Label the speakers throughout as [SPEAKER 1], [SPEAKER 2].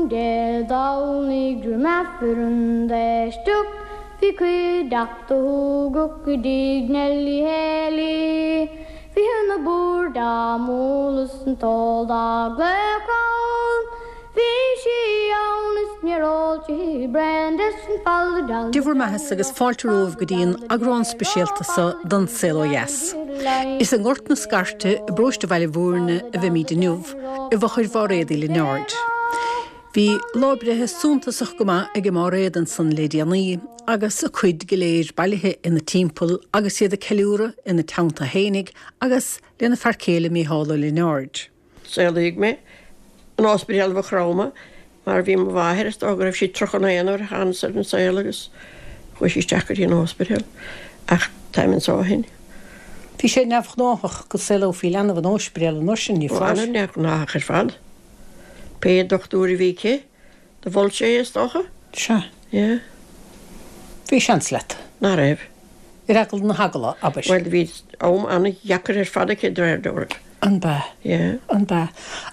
[SPEAKER 1] Dé Domhnaigh roim Aifreann d'éisteacht bhí cuideachta thugadh go dtigh Nellie Haley. Bhí an bord á mbualadh 's an t-ól dá ghlaoch ann. Bhí sí ann is níor ól sí braon des an folladán.
[SPEAKER 2] Dia bhur mbeatha agus fáilte romhaibh go dtí an eagrán speisialta seo den Saol Ó Dheas. Is i nGort na Scairte i bparóiste Bhaile Bhúirne a bheimíd inniu, i bhfochair Mháiréad Uí Lionáird. Bhí lá breithe suntasach go maith ag Máiréad ansan le déanaí agus a cuid go léir bailithe ina timpeall agus iad ag ceiliúradh ina teannta fhéinig agus lena fear céile Mícheál Ó Lionáird.
[SPEAKER 3] Saolaíodh mé in Ospidéal Mhaigh Chromtha mar bhí mo mháthair, is dócha go raibh sí 31 nuair a thánas ar an saol agus chuaigh sí isteach go dtí an ospidéal ach táim anso ó shin.
[SPEAKER 2] Bhí sé neamhghnáthach go saolófaí leanbh in óispidéal an uair sin, ní
[SPEAKER 3] Ó,
[SPEAKER 2] foláir?
[SPEAKER 3] an-neamhghnáthach ar fad. Pé dochtúir a bhí aici, Do mhol sé é, is dócha?
[SPEAKER 2] Sea.
[SPEAKER 3] Yeah.
[SPEAKER 2] Bhí seans leat.
[SPEAKER 3] Ná raibh.
[SPEAKER 2] Ar eagla na heagla, abair.
[SPEAKER 3] Bhuel, do bhí am an-dheacair ar fad aici, de réir dealraimh.
[SPEAKER 2] An b'ea?
[SPEAKER 3] Yeah.
[SPEAKER 2] An b'ea?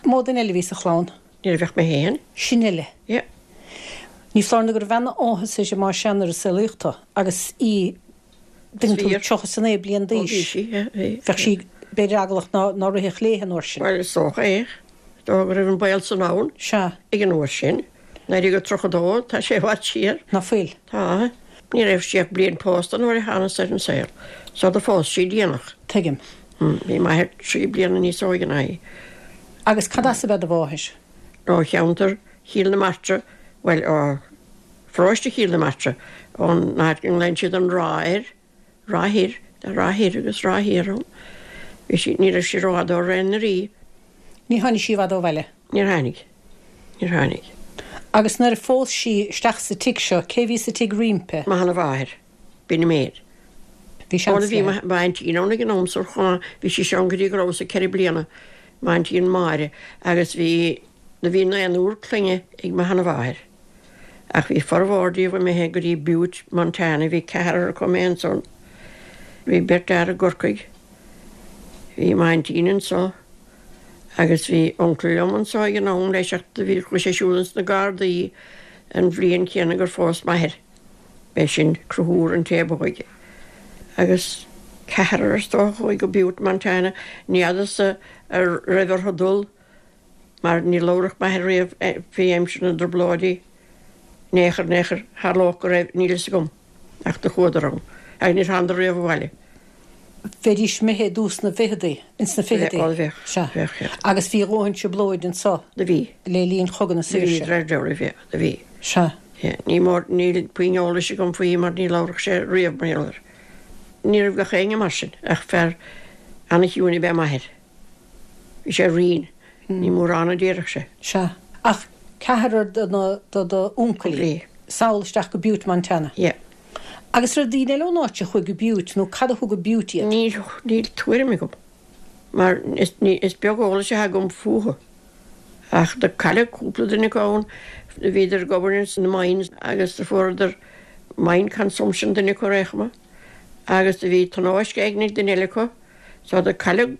[SPEAKER 2] Mó duine eile a bhí sa chlann?
[SPEAKER 3] Ní raibh ach mé féin.
[SPEAKER 2] Sin uile?
[SPEAKER 3] Yeah.
[SPEAKER 2] Ní foláir nó go raibh ana-áthas uirthi más ea nuair a saolaíodh tú agus í Bhí tú 39 bliain d'aois.
[SPEAKER 3] Bhí sí, yeah, bhí.
[SPEAKER 2] Bheadh sí, b'fhéidir, eaglach ná, ná rithfeadh léi an uair sin.
[SPEAKER 3] Bhuel, is dócha é. Is dócha go raibh an baol san ann.
[SPEAKER 2] Sea.
[SPEAKER 3] Ag an uair sin. 1932, tá sé i bhfad siar.
[SPEAKER 2] Ná fuil?
[SPEAKER 3] Tá. Ní raibh sí ach bliain pósta nuair a thánas ar an saol. So do phós sí déanach.
[SPEAKER 2] Tuigim.
[SPEAKER 3] Bhí m'athair trí bliana níos óige ná í.
[SPEAKER 2] Agus cad as ab ea do mháthair?
[SPEAKER 3] Ó cheantar Chill na Martra, bhuel, ó Pharóiste Chill na Martra, ón áit go nglaonn siad an Ráth air, Ráth Thoir, tá Ráth Thoir agus Ráth Thiar ann. Bhí sí, ní raibh sí rófhada ó Ráth na Rí.
[SPEAKER 2] Ní tháinig sí i bhfad ó bhaile?
[SPEAKER 3] Níor tháinig. Níor tháinig.
[SPEAKER 2] Agus nuair a phós sí isteach sa tigh seo, cé bhí sa tigh roimpi?
[SPEAKER 3] Mo sheana-mháthair. B'in an méid.
[SPEAKER 2] Bhí seans
[SPEAKER 3] Ó, bhí
[SPEAKER 2] léi.
[SPEAKER 3] m'aintín ann ag an am san chomh maith, bhí sí ann go dtí go rabhas-sa ceithre bliana, m'aintín Máire, agus bhí, do bhí naonúr clainne ag mo sheana-mháthair. Ach bhí formhór díobh imithe go dtí Butte, Montana, bhí ceathrar acu imithe ansan. Bhí beirt fhear i gCorcaigh. Bhí m'aintín anso agus bhí uncail liom anso ag an am leis ach do bhí, chuaigh sé siúd ins na Gardaí an bhliain chéanna gur phós m'athair. B'é sin Conchúr an té ab óige. Agus ceathrar is dócha a chuaigh go Butte, Montana. Ní fheadarsa a raibh orthu dul. mar ní labhradh m'athair riamh faoi aimsir na dTrioblóidí in aon chor, in aon chor, tharlódh go raibh, níl fhios agam, ach do chuadar ann, agus níor thánadar riamh abhaile.
[SPEAKER 2] Bheidís imithe i dtús na bhficheadaí, ins na ficheadaí.
[SPEAKER 3] Bheadh, bheadh,
[SPEAKER 2] Sea.
[SPEAKER 3] bheadh, yeah.
[SPEAKER 2] Agus bhí a dhóthain trioblóid anso
[SPEAKER 3] Do bhí.
[SPEAKER 2] le linn Chogadh na
[SPEAKER 3] Do bhí,
[SPEAKER 2] Saoirse.
[SPEAKER 3] de réir dealraimh, yeah, do bhí.
[SPEAKER 2] Sea.
[SPEAKER 3] Yeah, ní mór, níl puinn eolais agam faoi mar ní labhradh sé riamh mar gheall air. Ní raibh gach éinne mar sin, ach fear ana-chiúin ab ea m'athair. Bhí sé righin. Ní mórán a déarfadh sé.
[SPEAKER 2] Sea. Ach ceathrar de na, de do uncailí.
[SPEAKER 3] Bhí.
[SPEAKER 2] Sall isteach go Butte, Montana.
[SPEAKER 3] Yeah.
[SPEAKER 2] Agus raibh daoine eile ón áit a chuaigh go Butte nó cad a thug go Butte iad?
[SPEAKER 3] Níl, níl tuairim agam. Mar is, ní, is beag eolais atá agam fúthu. Ach do cailleadh cúpla duine acu ann. Do bhíodar ag obair ins na mines agus do fuaireadar mine consumption duine acu ar aon chuma. Agus do bhí tionóisc éigin ag duine eile acu. So do cailleadh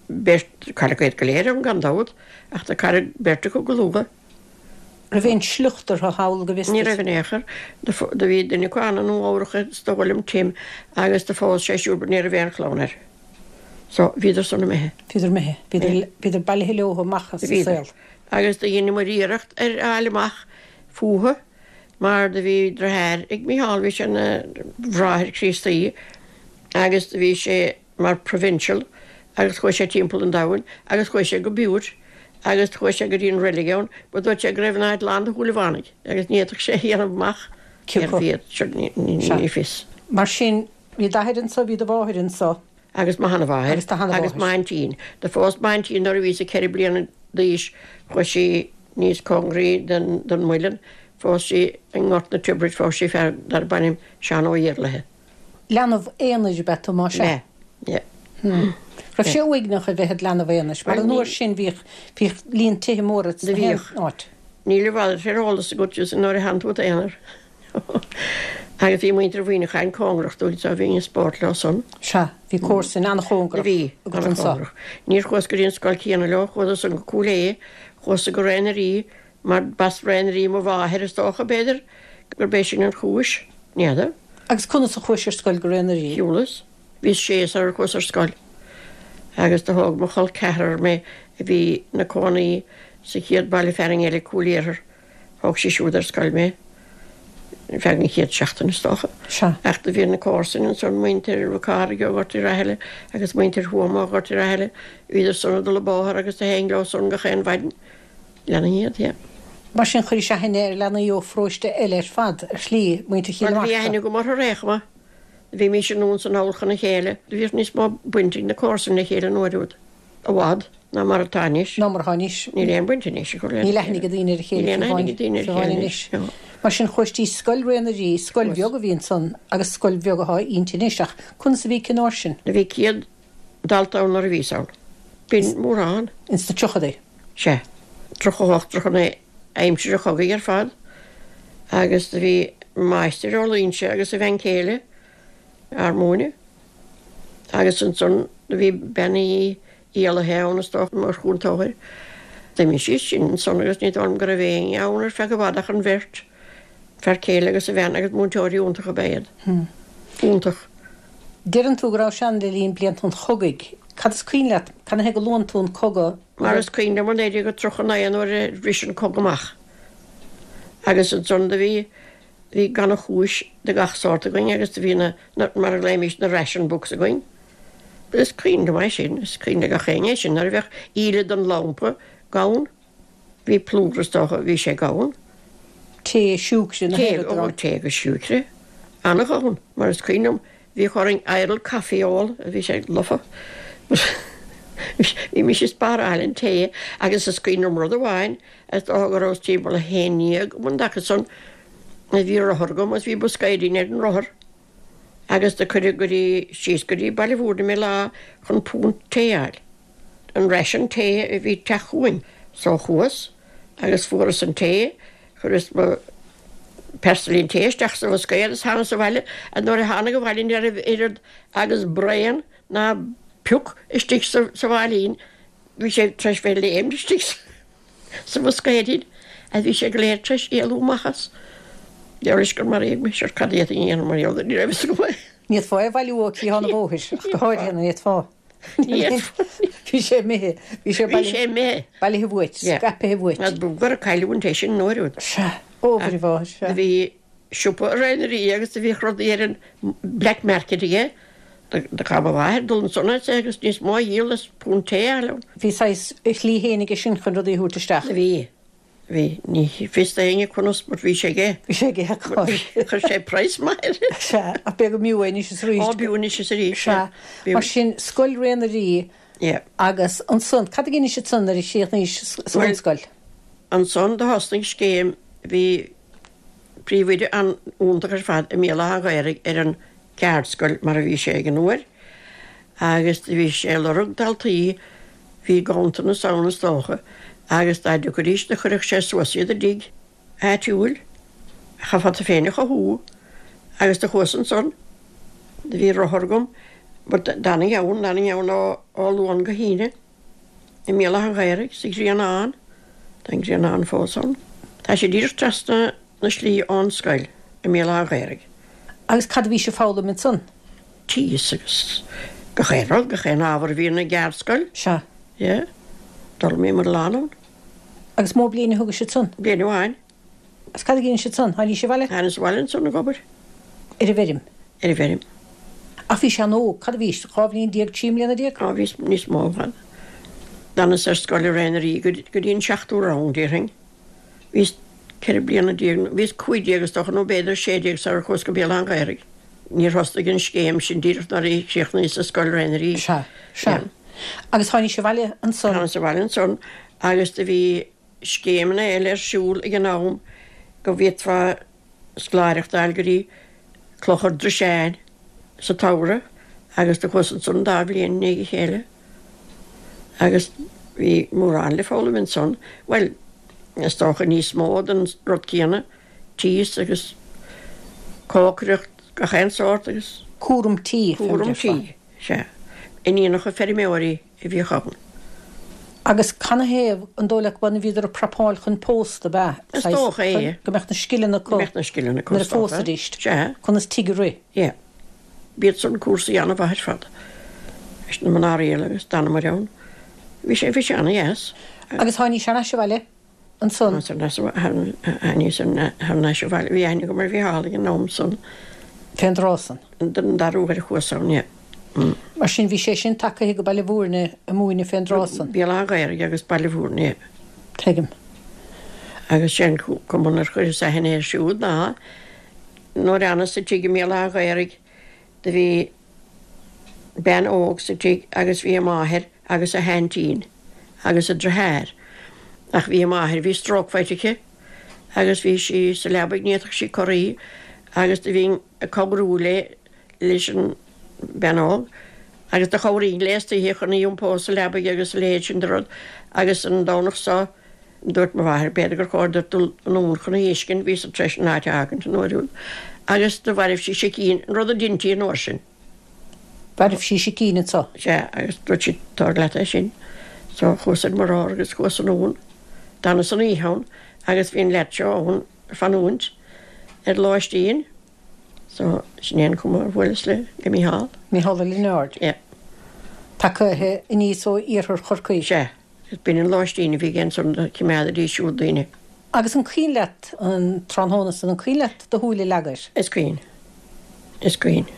[SPEAKER 3] beirt, cailleadh iad go léir ann gan dabht, ach do cailleadh beirt acu go luath.
[SPEAKER 2] Raibh aon sliocht orthu thall go bhfios
[SPEAKER 3] Ní
[SPEAKER 2] duit?
[SPEAKER 3] raibh in aon chor. Do bhí duine acu ann i Nua Eabhrach is dóigh liom, Tim, agus do phós sé siúd but ní raibh aon chlann air. So, bhíodar san imithe.
[SPEAKER 2] Bhíodar imithe. Bhíodar, bhíodar bailithe leo amach as an
[SPEAKER 3] Bhíodar.
[SPEAKER 2] saol.
[SPEAKER 3] Agus do dheineamair iarracht ar fháil amach fúthu mar do bhí driotháir ag Mícheál, bhí sé ina bhráthair Críostaí agus do bhí sé mar provincial agus chuaigh sé timpeall an domhain agus chuaigh sé go Butte agus chuaigh sé go dtí an reilig ann but dúirt sé go raibh an áit lán de Shúilleabhánaigh agus ní fhéadfadh sé a dhéanamh amach cérbh iad sure ní fios.
[SPEAKER 2] Mar sin, bhí d'athair anso, bhí do mháthair anso.
[SPEAKER 3] Agus mo sheanamháthair.
[SPEAKER 2] Agus do sheanamháthair.
[SPEAKER 3] Agus m'aintín. Do phós m'aintín nuair a bhíos-sa ceithre bliana d'aois, chuaigh sí níos cóngaraí don Muileann, phós sí i nGort na Tiobraid, phós sí fear darb ainm Seán Ó Iarlaithe.
[SPEAKER 2] Leanbh aonair ab ea tú, más
[SPEAKER 3] ea? B'ea, yeah.
[SPEAKER 2] Raibh sé uaigneach a bheith id leanbh aonair, mar an uair sin bhíodh, bhíodh líon tithe móra
[SPEAKER 3] Do
[SPEAKER 2] sna haon
[SPEAKER 3] bhíodh.
[SPEAKER 2] áit.
[SPEAKER 3] Níl a mhalairt ar eolas agat just nuair a theann tú i d'aonar. Agus bhí muintir Mhuineacháin cóngarach dúinn so bhínn ag spórt leo san.
[SPEAKER 2] Sea, bhí comharsain
[SPEAKER 3] Do
[SPEAKER 2] an-chóngarach
[SPEAKER 3] bhí,
[SPEAKER 2] agat anso.
[SPEAKER 3] an-chóngarach. Níor chuas go dtí an scoil chéanna leo, chuadar san go Cúil Aodha, chuas-sa go Ráth na Rí. Mar b'as Rae na Rí mo mháthair is dócha, b'fhéidir, gurb é sin an chúis. N'fheadar.
[SPEAKER 2] Agus conas a chuais ar scoil go Rae na Rí?
[SPEAKER 3] Shiúlas. Bhíos sé sar ar chuas ar scoil. Agus do thóg mo chol ceathrar mé a bhí 'na cónaí sa chéad baile fearainn eile, Cúil Iarthair. Thóg sí siúd ar scoil mé ar feadh an chéad seachtain is dócha.
[SPEAKER 2] Sea.
[SPEAKER 3] Ach do bhí na comharsain ansan, muintir Mhic Cárthaigh ó Ghort Uí Rathaille agus muintir Thuama ó Ghort Uí Rathaille, bhíodar san ag dul an bóthar agus do théinn leo san gach aon mhaidin. Leanainn iad, yeah.
[SPEAKER 2] Mar sin chuiris aithne ar leanaí ó pharóiste eile ar fad, ar shlí, muintir Chill na
[SPEAKER 3] Bhuel, bhí
[SPEAKER 2] Martra.
[SPEAKER 3] aithne agam orthu ar aon chuma. Bhímís anonn 's anall chun a chéile. Bhíodh níos mó baint ag na comharsain le chéile an uair úd, i bhfad, ná mar atá anois.
[SPEAKER 2] Ná mar atá anois.
[SPEAKER 3] Níl aon bhaint anois acu lena
[SPEAKER 2] Níl aithne ag daoine ar a chéile
[SPEAKER 3] Níl aon aithne ag daoine ar a chéile anois.
[SPEAKER 2] No. Mar sin chuais dtí scoil Rae na Rí, scoil bheag a bhí ansan agus scoil bheag athá inti anois ach conas a bhí aici an uair sin?
[SPEAKER 3] Bhí 100 dalta ann nuair a bhíos ann. B'in mórán.
[SPEAKER 2] Ins na tríochadaí?
[SPEAKER 3] Sea. 38, 39, aimsir an chogaidh ar fad. Agus do bhí máistir ó Luínse agus a bhean chéile ár múineadh. Agus ansan do bhí Bean Uí Éallaithe ann is dócha mar chúntóir. D'imigh sí sin ansan agus ní dóigh liom go raibh éinne ann ar feadh i bhfad ach an bheirt, fear céile agus a bhean agus múinteoirí iontacha ab ea iad. Iontach.
[SPEAKER 2] Deireann tú go rabhais ann le linn blianta an chogaidh. Cad is cuimhin leat? Cad ina thaobh go luann tú an cogadh?
[SPEAKER 3] Mar is cuimhin liom 1939 nuair a bhris an cogadh amach. Agus ansan do bhí, bhí gannchúis de gach sórt againn agus do bhí na, na, mar a ghlaoimís, na ration books againn. Is cuimhin liom é sin, is cuimhin le gach éinne é sin, nuair a bheadh íle den lampa gann, Bhí plúr is dócha, bhí sé gann.
[SPEAKER 2] Tae, siúcre, na
[SPEAKER 3] Tae, ó, tae agus siúcre. An-ghann, mar is cuimhin liom, bhíodh orainn Ireland coffee a ól, bhí sé lofa. Bhímis ag spáráil an tae agus is cuimhin liom rud amháin, is dócha go rabhas timpeall a haon ndéag um an dtaca san, bhí rothar agam agus bhí boscaeidín ar an rothar agus do cuireadh go dtí, síos go dtí Baile Bhúirne mé lá chun punt tae a fháil. an ration tae a bhí ag teacht chugainn. So chuas agus fuaras an tae, chuireas mo phearsailín tae isteach sa bhoscaod agus thánas abhaile and nuair a thánag abhaile ní raibh oiread agus braon ná pioc istigh sa sa mháilín, bhí sé tar éis bheith léimt istigh sa bhoscaeidín agus bhí sé go léir tar éis éalú amach as. Deir leis gur maraíodh mé, sure cad a d'fhéadfainn a dhéanamh mar gheall air, ní raibh fhios agam é.
[SPEAKER 2] Ní fhéadfá é a bhailiú ó chliathán an bhóthair ach go háirithe ní fhéadfá. Bhí sé imithe. Bhí sé
[SPEAKER 3] Bhí sé imithe.
[SPEAKER 2] Bailithe uait. Scaipthe uait.
[SPEAKER 3] B'fhiú gur cailleadh é sin an uair úd.
[SPEAKER 2] Sea. Ó, a mháthair, sea.
[SPEAKER 3] Do bhí siopa i Rae na Rí agus do bhíodh rudaí ar an black market aige. Do chaith mo mháthair dul ansan agus níos mó a dhíol as punt tae a fháil ann.
[SPEAKER 2] Bhí saghas a shlí féin aige sin chun rudaí a thabhairt isteach.
[SPEAKER 3] Bhí. Bhí, ní fios d'éinne conas but bhí sé aige.
[SPEAKER 2] Bhí sé aige,
[SPEAKER 3] cáil. Chuir sé praghas maith air.
[SPEAKER 2] Sea, ach b'fhéidir go mb'fhiú é anois is arís.
[SPEAKER 3] Ó, b'fhiú anois is arís,
[SPEAKER 2] sea. Sea. Mar sin, Scoil Rae na Rí
[SPEAKER 3] Yeah.
[SPEAKER 2] agus ansan, cad a dheinis ansan nuair a chríochnaís sa
[SPEAKER 3] Bhuel,
[SPEAKER 2] bhunscoil?
[SPEAKER 3] ansan do thosnaigh scéim, bhí príomhoide an-iontach ar fad i mBéal Átha an Ghaorthaidh ar an gceardscoil mar a bhí sé ag an uair agus do bhí sé ag lorg daltaí, bhí ganntanas ann is dócha, agus dá dtiocfaidís do chuirfeadh sé suas iad i dtigh áitiúil, chaithfeá tú féin a chothú agus do chuas ansan, do bhí rothar agam but d'fhanainn ann, d'fhanainn ann ó Luan go hAoine. I mBéal Átha an Ghaorthaidh, sa Ghrianán. Tá an Grianán fós ann. Tá sé díreach trasna na slí ón scoil i mBéal Átha an Ghaorthaidh.
[SPEAKER 2] Agus cad a bhís ag foghlaim ansan?
[SPEAKER 3] Tíos agus gach aon rud, gach aon ábhar a bhíonn i gceardscoil.
[SPEAKER 2] Sea.
[SPEAKER 3] Yeah. D'fhoghlaimíomar a lán ann.
[SPEAKER 2] Agus mó bliain a thugais ansan?
[SPEAKER 3] Bliain amháin.
[SPEAKER 2] Agus cad a dheinis ansan? Tháinís abhaile?
[SPEAKER 3] Thánas abhaile ansan ag obair.
[SPEAKER 2] Ar an bhfeirm?
[SPEAKER 3] Ar an bhfeirm.
[SPEAKER 2] Ach bhís an-óg. Cad a bhís? 12 bhliain, 13 mbliana?
[SPEAKER 3] Á, bhíos níos mó i bhfad. D'fhanas ar scoil i Rae na Rí go dtí an seachtú rang, déarfainn. Bhíos 14 bliana, bhíos 15 is dócha, nó b'fhéidir 16 sar a chuas go Béal Átha an Ghaorthaidh. Níor thosnaigh an scéim sin díreach nuair a chríochnaíos sa scoil Rae na Rí.
[SPEAKER 2] Sea, sea. Agus tháinís abhaile ansan?
[SPEAKER 3] Thánas abhaile ansan agus do bhí scéimeanna eile ar siúl ag an am go bhféadfá scoláireacht a fháil go dtí Clochar Druiseáin sa tsamhradh agus do chuas ansan an dá bhliain i ndiaidh a chéile agus bhí mórán le foghlaim ansan, bhuel, is dócha níos mó den rud céanna, tíos agus cócaireacht gach aon sórt agus.
[SPEAKER 2] Cúram tí,
[SPEAKER 3] Cúram tí, sea. Iníonacha feirmeoirí. a bhíodh ann.
[SPEAKER 2] Agus canathaobh, an dóigh leat go b'ionann bhíodar ag prapáil chun pósta, ab ea?
[SPEAKER 3] Is dócha é.
[SPEAKER 2] Go mbeadh na scileanna acu.
[SPEAKER 3] Go mbeadh na scileanna acu,
[SPEAKER 2] nuair a phósfaidís.
[SPEAKER 3] Sea.
[SPEAKER 2] Conas tigh a rith.
[SPEAKER 3] Yeah. B'iad san cúrsaí an-mhaith ar fad. Leis na mná riail agus d'fhanamair ann. Bhí sé, bhí sé an-dheas.
[SPEAKER 2] Agus tháinís thar n-ais abhaile ansan?
[SPEAKER 3] Tháinís thar n-ais abhaile. Bhí aithne agam ar Mhícheál ag an am san.
[SPEAKER 2] Fén dtráth san?
[SPEAKER 3] An dara huair a chuas ann, yeah.
[SPEAKER 2] Mar sin bhí sé sin tagaithe go Baile Mhúirne ag múineadh fén dtráth san?
[SPEAKER 3] Béal Átha an Ghaorthaidh agus Baile Mhúirne, yeah.
[SPEAKER 2] Tuigim.
[SPEAKER 3] Agus sé an cuma ar chuireas aithne air siúd ná nuair a fhanas sa tigh i mBéal Átha an Ghaorthaidh do bhí bean óg sa tigh agus bhí a máthair agus a haintín agus a driotháir ach bhí a máthair, bhí stroke faighte aici agus bhí sí sa leabaidh ní fhéadfadh sí corraí agus do bhínn ag cabhrú léi leis an bean óg agus do chabhraínn léi istoíche chun í iompó sa leabaidh agus a leithéid sin de rud agus an Domhnach so dúirt mo mháthair b'fhéidir gur chóir duit dul anonn chun í fheiscint, bhíos-sa tar éis an áit a fhágaint an uair úd agus do mhairbh sí sicín, an rud a deintí an uair sin.
[SPEAKER 2] Mhairbh sí sicín anso.
[SPEAKER 3] Sea, agus dúirt sí tabhair leat é sin. So chuas ar mo rothar agus chuas anonn. D'fhanas an oíche ann agus bhí an leaid seo ann ag fanúint ar lóistín. So sin é an cuma ar bhuaileas le le Mícheál.
[SPEAKER 2] Mícheál Ó Lionáird.
[SPEAKER 3] Yeah.
[SPEAKER 2] Tagaithe aníos ó iarthar Chorcaí.
[SPEAKER 3] Sea. Is b'in an lóistín a bhí aige ansan do chimeádaidís siúd daoine.
[SPEAKER 2] Agus an cuimhin leat an tráthnóna san, an cuimhin leat do shúil a leagadh air?
[SPEAKER 3] Is cuimhin. Is cuimhin.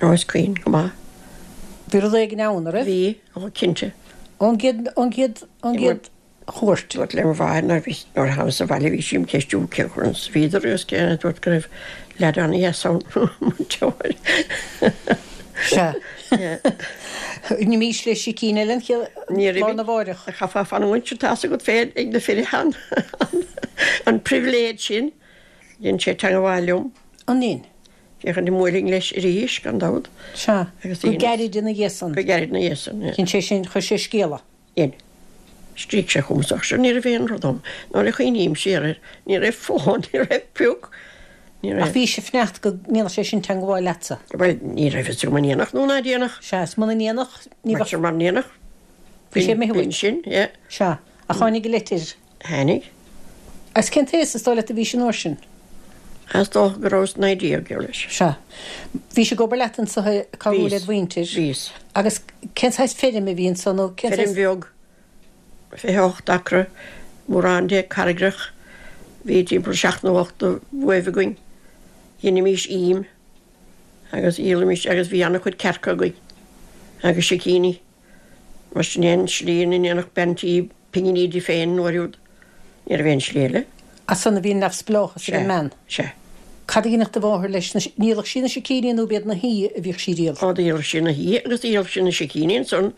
[SPEAKER 3] Ó, is cuimhin go maith.
[SPEAKER 2] Bhí rud éigin ann, a' raibh?
[SPEAKER 3] Bhí, ó, cinnte.
[SPEAKER 2] Ón gcéad, ón gcéad, ón gcéad chuairt.
[SPEAKER 3] Dúrt le mo mháthair nuair a bhí, nuair a thánas abhaile bhí sí im cheistiú cé conas a bhíodar agus cé, dúrt go raibh leaid an-dheas ann, múinteoir.
[SPEAKER 2] Sea. Ní bhís le sicín eile an chéad lá arna mháireach.
[SPEAKER 3] Chaithfeá fanúint, tá's agat féin ag na fir an an pribhléid sin. Dhein sé teangabháil liom.
[SPEAKER 2] An ndein?
[SPEAKER 3] Féachaint an mbuailfinn leis arís, gan dabht.
[SPEAKER 2] Sea. Go gairid ina dhiaidh san.
[SPEAKER 3] Go gairid ina dhiaidh san, yeah.
[SPEAKER 2] Dhein sé sin, chuir sé scéala.
[SPEAKER 3] Dhein. Scrígh sé chugam ach sure ní raibh aon rud ann. Nuair a chuimhním siar air, ní raibh fón, ní raibh pioc, ní raibh.
[SPEAKER 2] Ach bhís ag fanacht go ndéanfadh sé sin teangabháil leatsa.
[SPEAKER 3] Bhuel, ní raibh fhios agam an ndéanfadh nó ná déanfadh.
[SPEAKER 2] Sea, is muna ndéanfadh, ní bheadh.
[SPEAKER 3] Bhuel, mura ndéanfadh.
[SPEAKER 2] Bhí sé imithe uait.
[SPEAKER 3] B'in sin, yeah.
[SPEAKER 2] Sea. Ach tháinig an litir.
[SPEAKER 3] Tháinig.
[SPEAKER 2] Agus cén t-aos is dóigh leat a bhís an uair sin?
[SPEAKER 3] Is dócha go rabhas 19, geall leis.
[SPEAKER 2] Sea. Bhís ag obair leat anso ag cabhrú led mhuintir.
[SPEAKER 3] Bhíos.
[SPEAKER 2] Agus cén saghas feirm a bhí anso nó cén
[SPEAKER 3] saghas. Feirm bheag, 28 acra, mórán de carraigreach. Bhí timpeall seacht nó ocht de bhuaibh againn. Dheinimís im agus dhíolaimis agus bhí an-chuid cearca againn agus sicíní. Mar sin é an slí ina ndéanfadh bean tí pinginí di féin an uair úd. Ní raibh aon slí eile.
[SPEAKER 2] As san a bhí an neamhspleáchas ag an mbean.
[SPEAKER 3] Sea.
[SPEAKER 2] Cad a dhéanfadh do mháthair leis na, ndíolfadh sí na sicíní nó b'iad na huibhe a bhíodh sí a dhíol?
[SPEAKER 3] Ó dhíolfadh sí na huibhe agus dhíolfadh sí na sicíní ansan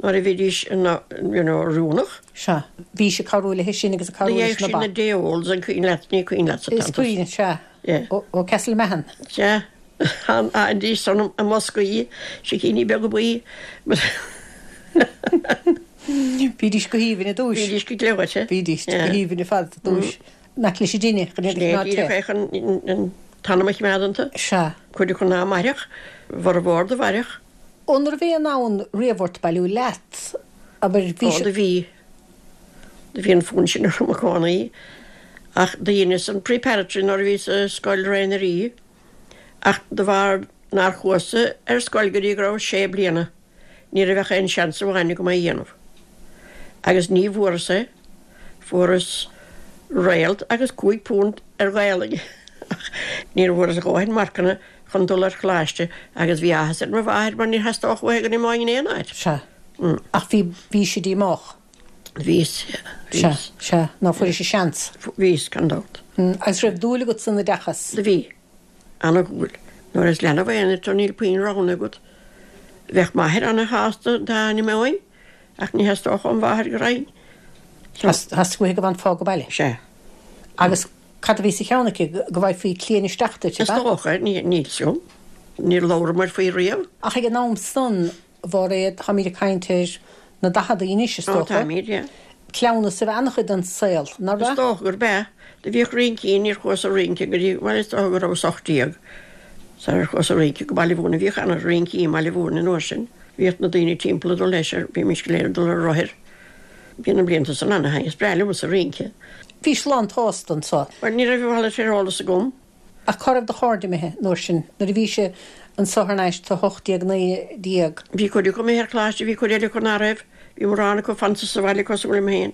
[SPEAKER 3] nuair a bhídís you know oiriúnach.
[SPEAKER 2] Sea. Bhís ag cabhrú léi sin agus ag cabhrú leis na
[SPEAKER 3] ba. D'fhaigheadh sí na day-olds, an cuimhin leat, ní cuimhin leatsa
[SPEAKER 2] Is cuimhin, sea.
[SPEAKER 3] Yeah.
[SPEAKER 2] Ó Castlemahon.
[SPEAKER 3] Sea. Bhídís san i mboscaí, sicíní beaga buí.
[SPEAKER 2] Bhídís go haoibhinn i dtúis.
[SPEAKER 3] Bhídís go gleoite.
[SPEAKER 2] Bhídís go haoibhinn ar fad i dtúis. In aice leis an dtine, chun iad a choimeád te.
[SPEAKER 3] Sin é díreach é chun an t-anam a choimeád iontu.
[SPEAKER 2] Sea.
[SPEAKER 3] Cuid acu ná mairfeadh, a bhformhór do mhairfeadh.
[SPEAKER 2] An raibh aon fhonn riamh ort bailiú leat? Abair, bhí.
[SPEAKER 3] Ó, do bhí. Do bhí an fonn sin orm i gcónaí. Ach do dheineas an preparatory nuair a bhíos i Scoil Ré na Rí. Ach de bharr nár chuas-sa ar scoil go dtí go rabhas sé bliana, ní raibh ach aon seans amháin agam é a dhéanamh. Agus ní bhfuaireas é. Fuaireas réalt agus £5 ar Ghaelainn ach níor bhfuaireas a dhóthain marcanna chun dul ar choláiste agus bhí áthas ar mo mháthair mar níor theastódh uaithi go n-imeoinn in aon áit.
[SPEAKER 2] Sea. Ach bhí, bhís díomách.
[SPEAKER 3] Bhíos,
[SPEAKER 2] Sea,
[SPEAKER 3] bhíos.
[SPEAKER 2] sea, ná fuairis an seans.
[SPEAKER 3] Bhíos, gan dabht.
[SPEAKER 2] Agus raibh dúil agat san oideachas?
[SPEAKER 3] Do bhí. Ana-dhúil. Nuair is leanbh aonair tú níl puinn roghanna agat. Bheadh m'athair ana-shásta dá n-imeoinn ach ní theastódh óm mháthair go raghainn.
[SPEAKER 2] So. Theastaigh uaithi go bhfanfá go baile?
[SPEAKER 3] Sea.
[SPEAKER 2] Agus cad a bhí sa cheann aici, go bhfaighfí cliain isteach duit, ab
[SPEAKER 3] ea? Is dócha, níl 'fhios a'm. Níor labhramair faoi riamh.
[SPEAKER 2] Ach ag an am san, A Mháiréad, táimid ag caint ar na daicheadaí anois, is
[SPEAKER 3] Ó,
[SPEAKER 2] dócha.
[SPEAKER 3] táimid, yeah.
[SPEAKER 2] Cleamhnas a bhí an-chuid den saol, nach
[SPEAKER 3] Is
[SPEAKER 2] raibh?
[SPEAKER 3] dócha gurb ea. Do bhíodh rincí, níor chuas a rince go dtí, bhuel, is dócha go rabhas 18 sar ar chuas a rince go Baile Mhúirne. Bhíodh ana-rincí i mBaile Mhúirne an uair sin. Bhíodh na daoine timpeall ag dul leis, ar, bhímis go léir ag dul ar rothair. Bhí na blianta san ana-thaitneamhach. Is breá liomsa rince.
[SPEAKER 2] Bhís lán tsásta anso.
[SPEAKER 3] Bhuel, ní raibh a mhalairt ar eolas agam.
[SPEAKER 2] Ach cá raibh do chairde imithe an uair sin, nuair a bhís anso thar n-ais sa 18, 19.
[SPEAKER 3] Bhí cuid acu imithe ar choláiste, bhí cuid eile acu ná raibh. Bhí mórán acu fanta sa bhaile cosúil liom féin.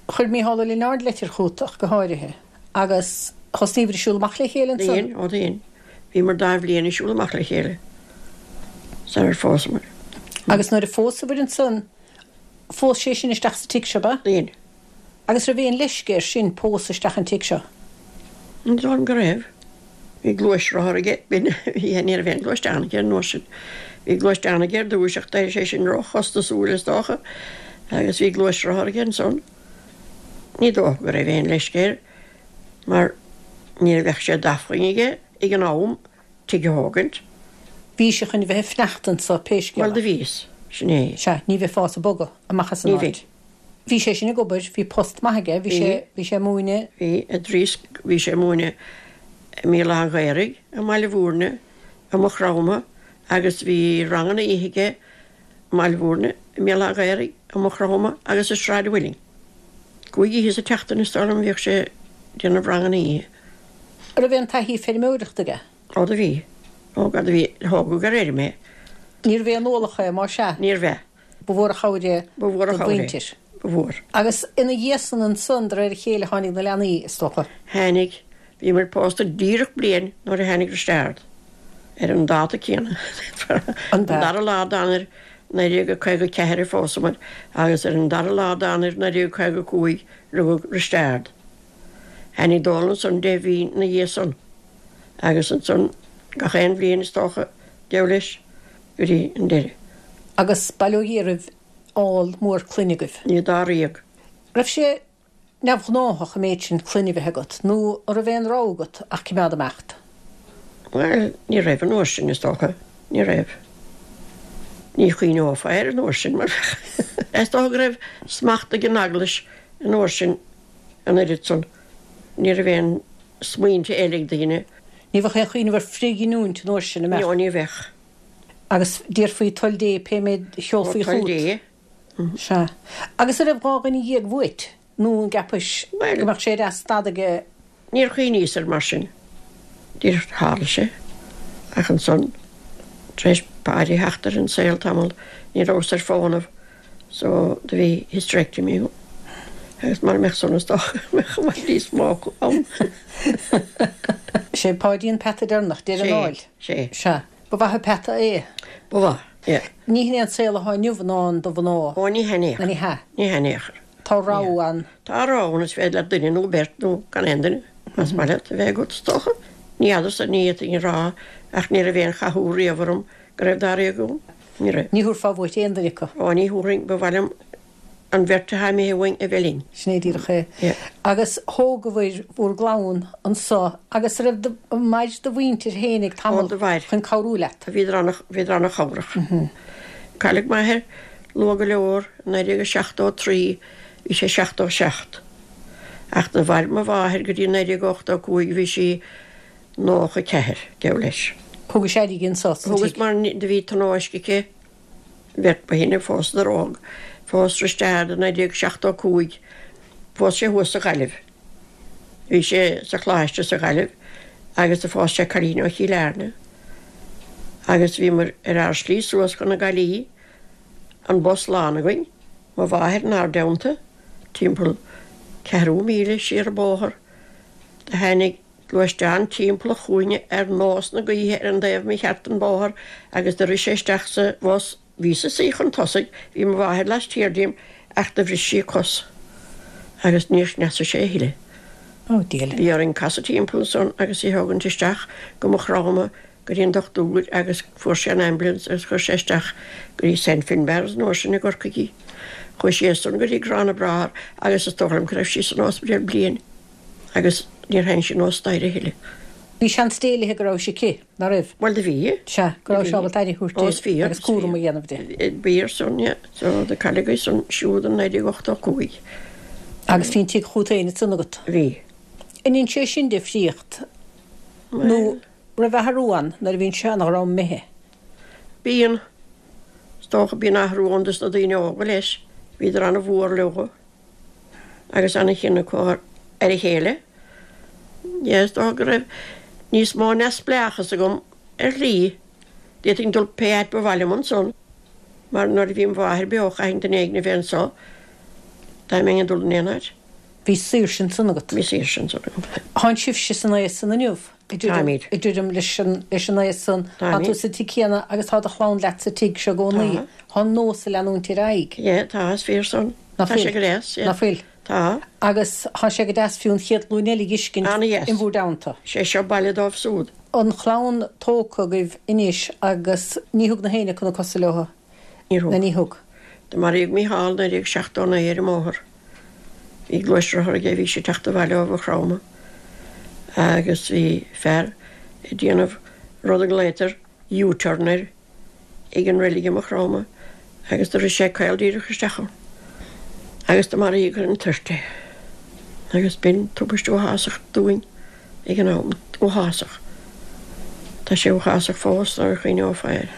[SPEAKER 2] Chuir Mícheál Ó Lionáird leitir chugat ach go háirithe, agus thosnaíobhair ag siúl amach le chéile ansan?
[SPEAKER 3] Dhein, ó dhein. Bhíomar dá bhliain ag siúl amach le chéile sarar phósamar.
[SPEAKER 2] Agus nuair a phósabhair ansan, phós sé sin isteach sa tigh seo, ab ea?
[SPEAKER 3] Dhein.
[SPEAKER 2] Agus raibh aon leisce air sin pósadh isteach an tigh seo?
[SPEAKER 3] Ní dóigh liom go raibh. Bhí gluaisrothar aige, b'in, bhí, ní raibh aon ghluaisteán aige an uair sin. Bhí gluaisteán aige ar dtúis ach d'éirigh sé sin róchostasúil is dócha agus bhí gluaisrothar aige ansan. Ní dócha go raibh aon leisce air mar ní bheadh sé d'acmhainn aige ag an am tigh a thógaint.
[SPEAKER 2] Bhís chun a bheith ag fanacht anso pé scéal é.
[SPEAKER 3] Bhuel do bhíos, sin é.
[SPEAKER 2] Sea, ní bheifeása ag bogadh amach as an
[SPEAKER 3] Ní
[SPEAKER 2] áit.
[SPEAKER 3] bheinn.
[SPEAKER 2] Bhí sé sin ag obair, bhí post maith aige, bhí sé, bhí sé ag múineadh.
[SPEAKER 3] Bhí, i dtrí, bhí sé ag múineadh i mBéal Átha an Ghaorthaidh, i mBaile Mhúirne, i Maigh Chromtha agus bhí ranganna oíche aige i mBaile Mhúirne, i mBéal Átha an Ghaorthaidh, i Maigh Chromtha agus i Sráid an Mhuilinn. Cúig oíche sa tseachtain is dóigh liom a bhíodh sé ag déanamh ranganna oíche.
[SPEAKER 2] An raibh aon taithí feirmeoireachta aige?
[SPEAKER 3] Ó do bhí. Ó do bhí, thógadh ar fheirm é.
[SPEAKER 2] Níorbh aon ualach é, más ea?
[SPEAKER 3] Níorbh ea.
[SPEAKER 2] Ba mhór an chabhair é
[SPEAKER 3] Ba mhór an
[SPEAKER 2] do
[SPEAKER 3] chabhair é.
[SPEAKER 2] mhuintir.
[SPEAKER 3] Ba mhór.
[SPEAKER 2] Agus ina dhiaidh san ansan, de réir a chéile, tháinig na leanaí, is dócha.
[SPEAKER 3] Tháinig. Bhíomar pósta díreach bliain nuair a tháinig Risteárd. Ar an dáta céanna.
[SPEAKER 2] An
[SPEAKER 3] An dara lá d'Eanáir 1954 a phósamar agus ar an dara lá d'Eanáir 1955 rugadh Risteárd. Tháinig Dónal ansan deich mhí ina dhiaidh san. Agus ansan gach aon bhliain is dócha, deabhal leis. go dtí an deireadh.
[SPEAKER 2] Agus bail ó Dhia oraibh ál mór clainne agaibh.
[SPEAKER 3] Ní dáréag.
[SPEAKER 2] Raibh sé neamhghnáthach an méid sin clainne a bheith agat, nó an raibh aon rogha agat ach cimeád imeacht?
[SPEAKER 3] Bhuel, ní raibh an uair sin, is dócha. Ní raibh. Ní chuimhneofá air an uair sin, mar is dócha go raibh smacht ag an Eaglais an uair sin an oiread san. Ní raibh aon smaointe eile ag daoine.
[SPEAKER 2] Ní bheadh aon chuimhneamh ar frithghiniúint an uair sin, an mbeadh?
[SPEAKER 3] Ní, ní bheadh.
[SPEAKER 2] Agus déarfaí toil Dé pé méid a sheolfaí
[SPEAKER 3] Ó, toil
[SPEAKER 2] chugat.
[SPEAKER 3] Dé.
[SPEAKER 2] Sea. Agus an raibh 12 dhuine uait, nó an gceapais
[SPEAKER 3] Bhuel.
[SPEAKER 2] go mbeadh sé deas stad aige?
[SPEAKER 3] Níor chuimhníos air mar sin. Díreach tharla sé. Ach ansan, tar éis Páidí theacht ar an saol tamall, ní rabhas ar fónamh. So do bhí hysterectomy agam. Agus mara mbeadh san is dócha go mbeadh i bhfad níos mó acu ann.
[SPEAKER 2] Sé Páidí an peata deireanach, deireadh an áil.
[SPEAKER 3] Sé, sé.
[SPEAKER 2] Sea. Ba mhaith an peata é.
[SPEAKER 3] Ba mhaith, yeah.
[SPEAKER 2] Ní hin é an saol atá inniu i ndán do mhná.
[SPEAKER 3] Ó ní hea in aon chor.
[SPEAKER 2] Ní hea.
[SPEAKER 3] Ní hea in aon chor.
[SPEAKER 2] Tá rogha ann.
[SPEAKER 3] Tá rogha ann, is féidir leat duine nó beirt nó gan aon duine, más maith leat, a bheith agat, is dócha. Ní fheadarsa, ní fhéadfainn a rá ach ní raibh aon chathú riamh orm go raibh dáréag agam. Ní raibh.
[SPEAKER 2] Ní thabharfá uait aon duine acu.
[SPEAKER 3] Ó, ní thabharfainn, ba mhaith liom an bheirt atá imithe uainn a bheith linn.
[SPEAKER 2] Sin é díreach é.
[SPEAKER 3] Yeah.
[SPEAKER 2] Agus thógabhair bhur gclann anso agus raibh do, mhair do mhuintir fhéinig tamall
[SPEAKER 3] Ó, do mhair.
[SPEAKER 2] chun cabhrú leat.
[SPEAKER 3] Bhíodar ana, bhíodar ana chabhrach. Cailleadh m'athair luath go leor, i 1973, bhí sé 77. Ach do mhair mo mháthair go dtí 1985, bhí sí 94, geall leis.
[SPEAKER 2] Thugais aire di anso sa
[SPEAKER 3] Thugas
[SPEAKER 2] tigh.
[SPEAKER 3] mar do bhí tionóisc aici, bheirt ba shine, phósadar óg. Phós Risteárd i 1975, phós sé thuas sa Ghaillimh. Bhí sé sa choláiste sa Ghaillimh agus do phós sé cailín ó Chill Airne. Agus bhíomar ar ár slí suas chun na Gaillimhe, an bus lán againn, mo mháthair inár dteannta, timpeall ceathrú míle siar an bóthar, do tháinig gluaisteán timpeall an chúinne ar nós na gaoithe ar an dtaobh mícheart den bhóthar agus do rith sé isteach sa bhus. Bhíos-sa suí chun tosaigh, bhí mo mháthair laistiar díom ach do bhris sí a cos agus níor chneasaigh sé a thuilleadh.
[SPEAKER 2] Ó, diail.
[SPEAKER 3] Bhí orainn casadh timpeall ansan agus í a thógaint isteach go Maigh Chromtha go dtí an dochtúir agus fuair sé an ambulance agus chuir sé isteach go dtí Saint Finbarr's an uair sin i gCorcaigh í. Chuaigh sí as san go dtí Grána Bráthar agus is dóigh liom go raibh sí san ospidéal bliain. Agus níor tháinig sí anuas staighre a thuilleadh.
[SPEAKER 2] Bhí seans d'éilithe go rabhais aici, ná raibh?
[SPEAKER 3] Bhuel, do bhí.
[SPEAKER 2] Sea, go rabhais ábalta aire a thabhairt di agus cúram a dhéanamh
[SPEAKER 3] di. B'fhíor san, yeah. So, do cailleadh í san siúd in 1985.
[SPEAKER 2] Agus bhí an tigh chút fhéin ansan agat?
[SPEAKER 3] Bhí.
[SPEAKER 2] An ndein sé sin difríocht? Nó raibh athrú ann nuair a bhíonn seana-dhream imithe?
[SPEAKER 3] Bíonn. Is dócha, bíonn athrú ann dos na daoine óga leis. Bhíodar ana-mhór leo agus ana-chion acu ar a chéile. Yeah, is dócha go raibh níos mó neamhspleáchas agam ar shlí. D'fhéadfainn dul pé áit ba mhaith liom ansan, mar nuair a bhí mo mháthair beo chaithfinn duine éigin a bheith anso dá mbeinn ag dul in aon áit.
[SPEAKER 2] Bhí saoirse ansan agat.
[SPEAKER 3] Bhí saoirse ansan agam.
[SPEAKER 2] Tánn sibhse san aos san inniu.
[SPEAKER 3] Táimid.
[SPEAKER 2] Ag druidim leis an leis an aos san. Tá tú sa tigh céanna agus tá do chlann leat sa tigh seo i gcónaí.
[SPEAKER 3] Tá.
[SPEAKER 2] Tá an nós ag leanúint ar aghaidh.
[SPEAKER 3] Yeah, tá, is fíor san.
[SPEAKER 2] Nach
[SPEAKER 3] Tá sé
[SPEAKER 2] fuil?
[SPEAKER 3] go deas, yeah.
[SPEAKER 2] Nach fuil?
[SPEAKER 3] Tá.
[SPEAKER 2] Agus tá sé go deas fiú an chéad ghlúin eile a dh'fheiscint
[SPEAKER 3] Ana-dheas.
[SPEAKER 2] in bhur dteannta.
[SPEAKER 3] Sé seo baile dóibh súd.
[SPEAKER 2] An chlann tógtha agaibh anois agus ní thug na héinne acu na cosa leo.
[SPEAKER 3] Níor thug.
[SPEAKER 2] Ná ní thug.
[SPEAKER 3] Do maraíodh Mícheál 1979 ar an mbóthar. Bhí gluaisrothar aige, bhí sé ag teacht abhaile ó Mhaigh Chromtha agus bhí fear ag déanamh rud a nglaotar U-turn air ag an reilig i Maigh Chromtha agus do rith sé caol díreach isteach ann agus do maraíodh ar an toirt é. Agus b'in tubaiste uathásach dúinn ag an am. Uathásach. Tá sé uathásach fós nuair a chuimhneofá air.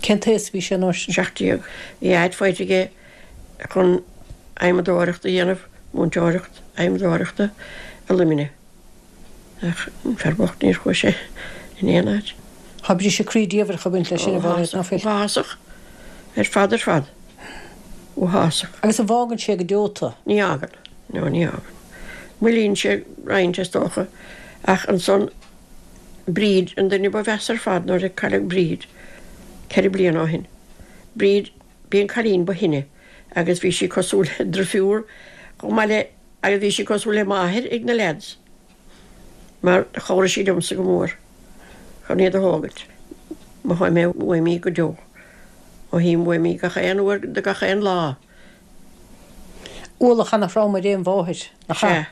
[SPEAKER 2] Cén t-aos a bhí sé an uair sin?
[SPEAKER 3] 17. Bhí áit faighte aige chun adhmadóireacht a dhéanamh, múinteoireacht adhmadóireachta i Luimneach. Ach an fear bocht níor chuaigh sé in aon áit.
[SPEAKER 2] Tá briseadh croí diamhrach ag baint leis sin, a Mhairéad, ná fuil?
[SPEAKER 3] Uathásach ar fad ar fad. Uathásach.
[SPEAKER 2] Agus an bhfágann sé go deo tú?
[SPEAKER 3] Ní fhágann. No, ní fhágann. Moillíonn sé roinnt, is dócha, ach ansan Bríd an duine ba mheasa ar fad nuair a cailleadh Bríd ceithre bliana ó shin. Bríd, b'í an cailín ba shine agus bhí sí cosúil le drifiúr chomh maith le agus bhí sí cosúil le máthair ag na leaids mar chabhraigh sí liomsa go mór chun iad a thógaint. Mothóidh mé uaim í go deo. Mothaím uaim í gach aon uair de gach aon lá.
[SPEAKER 2] Ualach ana-throm ar aon mháthair, nach ea?
[SPEAKER 3] Sea.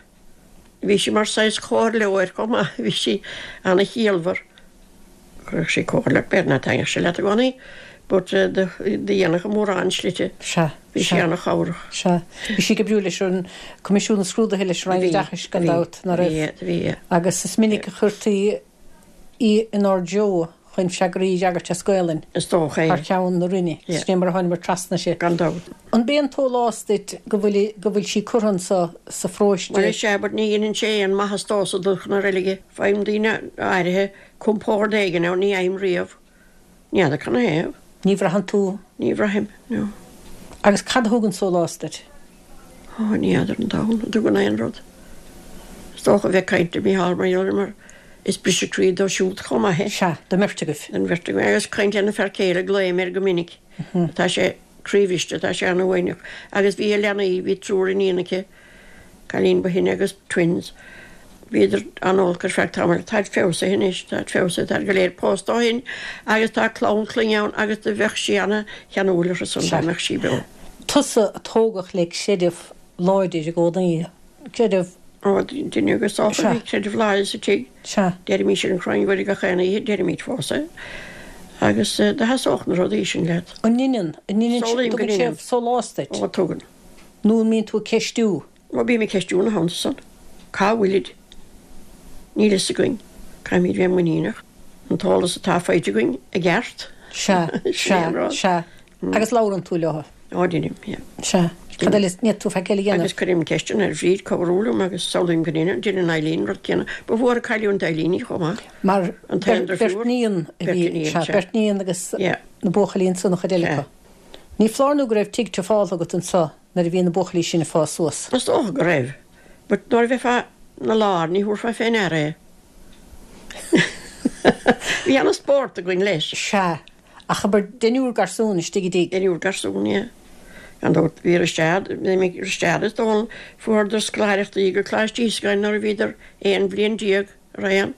[SPEAKER 3] Bhí sí mar saghas comhairleoir chomh maith, bhí sí ana-chiallmhar. Chuirfeadh sí comhairle ort, b'fhéidir nach dtaitneodh sé leat i gcónaí, but do dhéanfadh i mórán slite.
[SPEAKER 2] Sea.
[SPEAKER 3] Bhí sí ana-chabhrach.
[SPEAKER 2] Sea. Bhí sí ag oibriú leis an Coimisiún na Scrúduithe, leis an Roinn Oideachais, gan dabht, nach raibh?
[SPEAKER 3] Bhí, bhí.
[SPEAKER 2] Agus is minic a chuirtí í inár dtreo chun freagraí a fhreagairt as Gaelainn.
[SPEAKER 3] Is dócha é.
[SPEAKER 2] Thar ceann na Roinne.
[SPEAKER 3] Yeah.
[SPEAKER 2] Sin é mar a thánamar trasna uirthi.
[SPEAKER 3] Gan dabht.
[SPEAKER 2] An b'é an tsólás duit go bhfuil go bhfuil sí curtha anso sa pharóiste?
[SPEAKER 3] Bhuel, is ea, but ní dheineann sé aon maitheas domhsa dul chun na reilige. Faighim daoine áirithe compord éigin ann, ní fhaighim riamh. Ní fheadar canathaobh.
[SPEAKER 2] Ní bhraitheann tú?
[SPEAKER 3] Ní bhraithim, no.
[SPEAKER 2] Agus cad a thugann sólás duit?
[SPEAKER 3] Ó, ní fheadar an domhan an dtugann aon rud. Is dócha a bheith ag caint le Mícheál mar gheall air mar is briseadh croí dó siúd chomh maith é.
[SPEAKER 2] Sea, don mbeirt agaibh.
[SPEAKER 3] Don bheirt againn. Agus caint lena fear céile, glaoim air go minic. Tá sé croíbhriste, tá sé an-uaigneach. Agus bhí a leanaí, bhí triúr iníon aici, cailín ba shine agus twins. Bhíodar an-olc ar feadh tamaill. Táid feabhsaithe anois, táid feabhsaithe, táid go léir pósta ó shin agus tá clann clainne ann agus do bheadh sí ana-cheanúil orthu san dá mbeadh sí beo.
[SPEAKER 2] Tusa a tógadh le creideamh láidir i gcónaí, creideamh.
[SPEAKER 3] Ó, duine agus dócha, bhí creideamh láidir sa tigh.
[SPEAKER 2] Sea.
[SPEAKER 3] Deirimís an Chroí Mhuire gach aon oíche, deirimid fós é. Agus do sheasódh na rudaí sin leat.
[SPEAKER 2] An ndeineann, an ndeineann,
[SPEAKER 3] Samhlaím go
[SPEAKER 2] tugann sé
[SPEAKER 3] ndeineann.
[SPEAKER 2] sólás duit?
[SPEAKER 3] Ó, tugann.
[SPEAKER 2] Nó an mbíonn tú ag ceistiú?
[SPEAKER 3] Ó, bím ag ceistiú ina theannta san. Cá bhfuilid? Níl fhios againn. Caithfimid bheith muiníneach. An t-eolas atá faighte againn i gceart.
[SPEAKER 2] Sea,
[SPEAKER 3] Sin é an
[SPEAKER 2] sea,
[SPEAKER 3] rud.
[SPEAKER 2] sea. Agus labhrann tú leo.
[SPEAKER 3] Ó, deinim, yeah.
[SPEAKER 2] Sea. Cad eile, ní tú faic eile a dhéanamh.
[SPEAKER 3] Agus cuirim ceisteanna ar Bhríd cabhrú liom agus samhlaím go ndeineann, deineann Eileen an rud céanna. Ba mhór an cailliúint d'Eileen í chomh maith.
[SPEAKER 2] Mar
[SPEAKER 3] An t-aon
[SPEAKER 2] beirt
[SPEAKER 3] deirfiúr.
[SPEAKER 2] níon a
[SPEAKER 3] Beirt
[SPEAKER 2] bhí,
[SPEAKER 3] iníon,
[SPEAKER 2] sea,
[SPEAKER 3] sea.
[SPEAKER 2] beirt níon agus
[SPEAKER 3] Yeah.
[SPEAKER 2] na buachaillí ansan, an chuid eile
[SPEAKER 3] Sea.
[SPEAKER 2] acu. Ní foláir nó go raibh tigh trufáltha agat anso nuair a bhí na buachaillí sin ag fás suas.
[SPEAKER 3] Is dócha go raibh. But nuair a bheifeá 'na lár ní thabharfá fé ndeara é. Bhí ana-spórt againn leis.
[SPEAKER 2] Sea. Ach abair deichniúr garsún istigh i dtigh.
[SPEAKER 3] Deichniúr garsún, yeah. Gan dabht bhí Risteard, d'imigh Risteard is Dónal, fuaireadar scoláireachtaí go Coláiste Íosagáin nuair a bhíodar 11 bhliain araon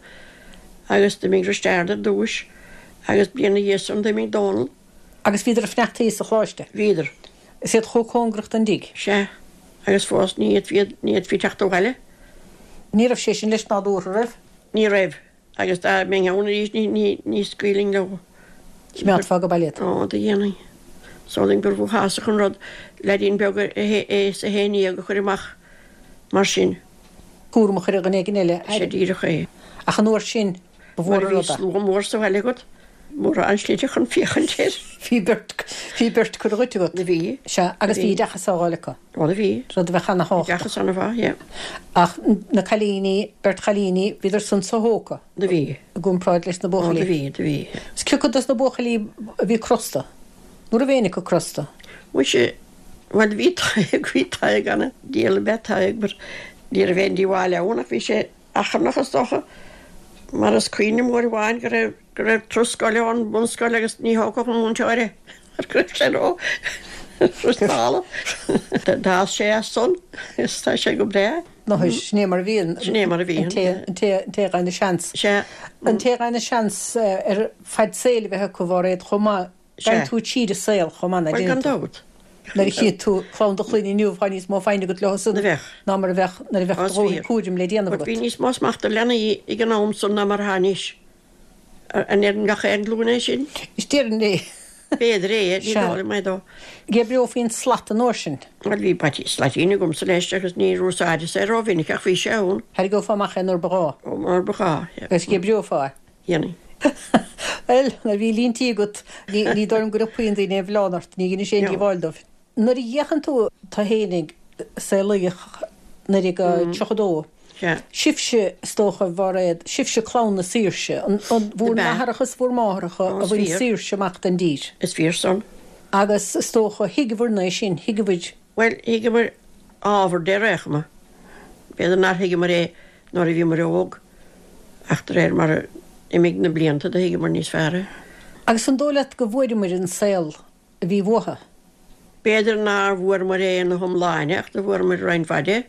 [SPEAKER 3] agus d'imigh Risteard ar dtúis agus bliain ina dhiaidh san d'imigh Dónal.
[SPEAKER 2] Agus bhíodar ag fanacht sa choláiste?
[SPEAKER 3] Bhíodar.
[SPEAKER 2] Is iad chomh cóngarach don dtigh?
[SPEAKER 3] Sea. Agus fós ní fhéadfaí, ní fhéadfaí teacht abhaile.
[SPEAKER 2] Ní raibh sé sin leis nádúrtha, raibh?
[SPEAKER 3] Ní raibh. Agus dá mbeinn ann arís ní, ní, ní scaoilfinn leo.
[SPEAKER 2] Choimeádfá go baile iad?
[SPEAKER 3] Ó, do dhéanfainn. Samhlaím gurbh uathásach an rud leaidín beag é is a 11 a chur amach mar sin.
[SPEAKER 2] Cúram a chur ar dhuine éigin eile.
[SPEAKER 3] Sea díreach é.
[SPEAKER 2] Ach an uair sin, ba mhór
[SPEAKER 3] Mar
[SPEAKER 2] an
[SPEAKER 3] bhí
[SPEAKER 2] rud é.
[SPEAKER 3] slua mór sa bhaile agat. mórán slite chun féachaint air.
[SPEAKER 2] Bhí beirt, bhí beirt curtha dhuit agat.
[SPEAKER 3] Do bhí.
[SPEAKER 2] Sea, agus bhí oideachas á fháil acu.
[SPEAKER 3] Ó do bhí.
[SPEAKER 2] Rud a bheadh ana-thábhachtach.
[SPEAKER 3] Oideachas ana-mhaith, yeah.
[SPEAKER 2] Ach na cailíní, beirt chailíní, bhíodar san so-thógtha.
[SPEAKER 3] Do bhí.
[SPEAKER 2] I gcomparáid leis na buachaillí.
[SPEAKER 3] Ó do bhí, do bhí.
[SPEAKER 2] Is cé acu dos na buachaillí a bhí crosta? Nó raibh éinne acu crosta?
[SPEAKER 3] Muise, bhuel bhí Tadhg, bhí Tadhg ana, diabhal ab ea Tadhg but ní raibh aon díobháil ann ach bhí sé achrannach is dócha mar is cuimhin liom uair amháin go raibh, go raibh turas scoile ón mbunscoil agus ní thógfadh an múinteoir é mar go raibh sé ró chrostála. D'fhás sé as san is tá sé go breá.
[SPEAKER 2] Nó sin é mar a bhíonn.
[SPEAKER 3] Sin é mar a bhíonn.
[SPEAKER 2] An té, an té, an té a fhaigheann a seans.
[SPEAKER 3] Sea.
[SPEAKER 2] An té a fhaigheann a seans ar fad saoil a bheith acu, a Mháiréad, chomh maith.
[SPEAKER 3] Sea.
[SPEAKER 2] Gabhann tú tríd an saol chomh maith, ná
[SPEAKER 3] Bhuel, gan
[SPEAKER 2] déanann tú?
[SPEAKER 3] dabht.
[SPEAKER 2] Nuair a chíonn tú clann do chlainne inniu, tá níos mó foighne agat leo san
[SPEAKER 3] A bheadh.
[SPEAKER 2] ná mar a bheadh nuair a bheadh
[SPEAKER 3] Is
[SPEAKER 2] do dhóthain
[SPEAKER 3] fíor.
[SPEAKER 2] cúraim le déanamh
[SPEAKER 3] But
[SPEAKER 2] agat.
[SPEAKER 3] bhí níos mó smachta ar leanaí ag an am san ná mar atá anois. An ndeireann gach aon ghlúin é sin?
[SPEAKER 2] Is deireann é.
[SPEAKER 3] B'fhéidir é, ní
[SPEAKER 2] Sea.
[SPEAKER 3] dóigh liom é dó.
[SPEAKER 2] Dh'oibreofaí an slat an uair sin.
[SPEAKER 3] Bhuel, bhí baitín, slaitín agamsa leis agus níor úsáideas é rómhinic ach bhí sé ann.
[SPEAKER 2] Tharraingeofá amach é nuair ba ghá.
[SPEAKER 3] Ó, nuair ba ghá, yeah.
[SPEAKER 2] Agus dh'oibreofá é.
[SPEAKER 3] Dhéanfainn.
[SPEAKER 2] Bhuel, nuair a bhí líon tí agat, ní, ní dóigh liom go n-iompaíonn daoine aon mhilleán ort, ní dheinis aon
[SPEAKER 3] No.
[SPEAKER 2] díobháil dóibh. Nuair a fhéachann tú, tú fhéinig, saolaíodh 1932,
[SPEAKER 3] Sea.
[SPEAKER 2] sibhse, is dócha, a Mháiréad, sibhse clann na saoirse, an, an, bhur
[SPEAKER 3] Ab ea?
[SPEAKER 2] n-athaireacha is bhur máthaireacha
[SPEAKER 3] Ó,
[SPEAKER 2] a
[SPEAKER 3] is
[SPEAKER 2] bhain
[SPEAKER 3] fíor.
[SPEAKER 2] saoirse amach don dtír.
[SPEAKER 3] Is fíor san.
[SPEAKER 2] Agus is dócha, thuigeabhair-na é sin, thuigeabhair.
[SPEAKER 3] Bhuel, thuigeamar ábhar de ar aon chuma. B'fhéidir nár thuigeamar é nuair a bhíomar óg, ach de réir mar a d'imigh na blianta do thuigeamar níos fearr é.
[SPEAKER 2] Agus an dóigh leat go bhfuaireamar an saol a bhí uathu?
[SPEAKER 3] B'fhéidir nár bhfuaireamar é ina hiomláine, ach do fuaireamar roinnt mhaith de.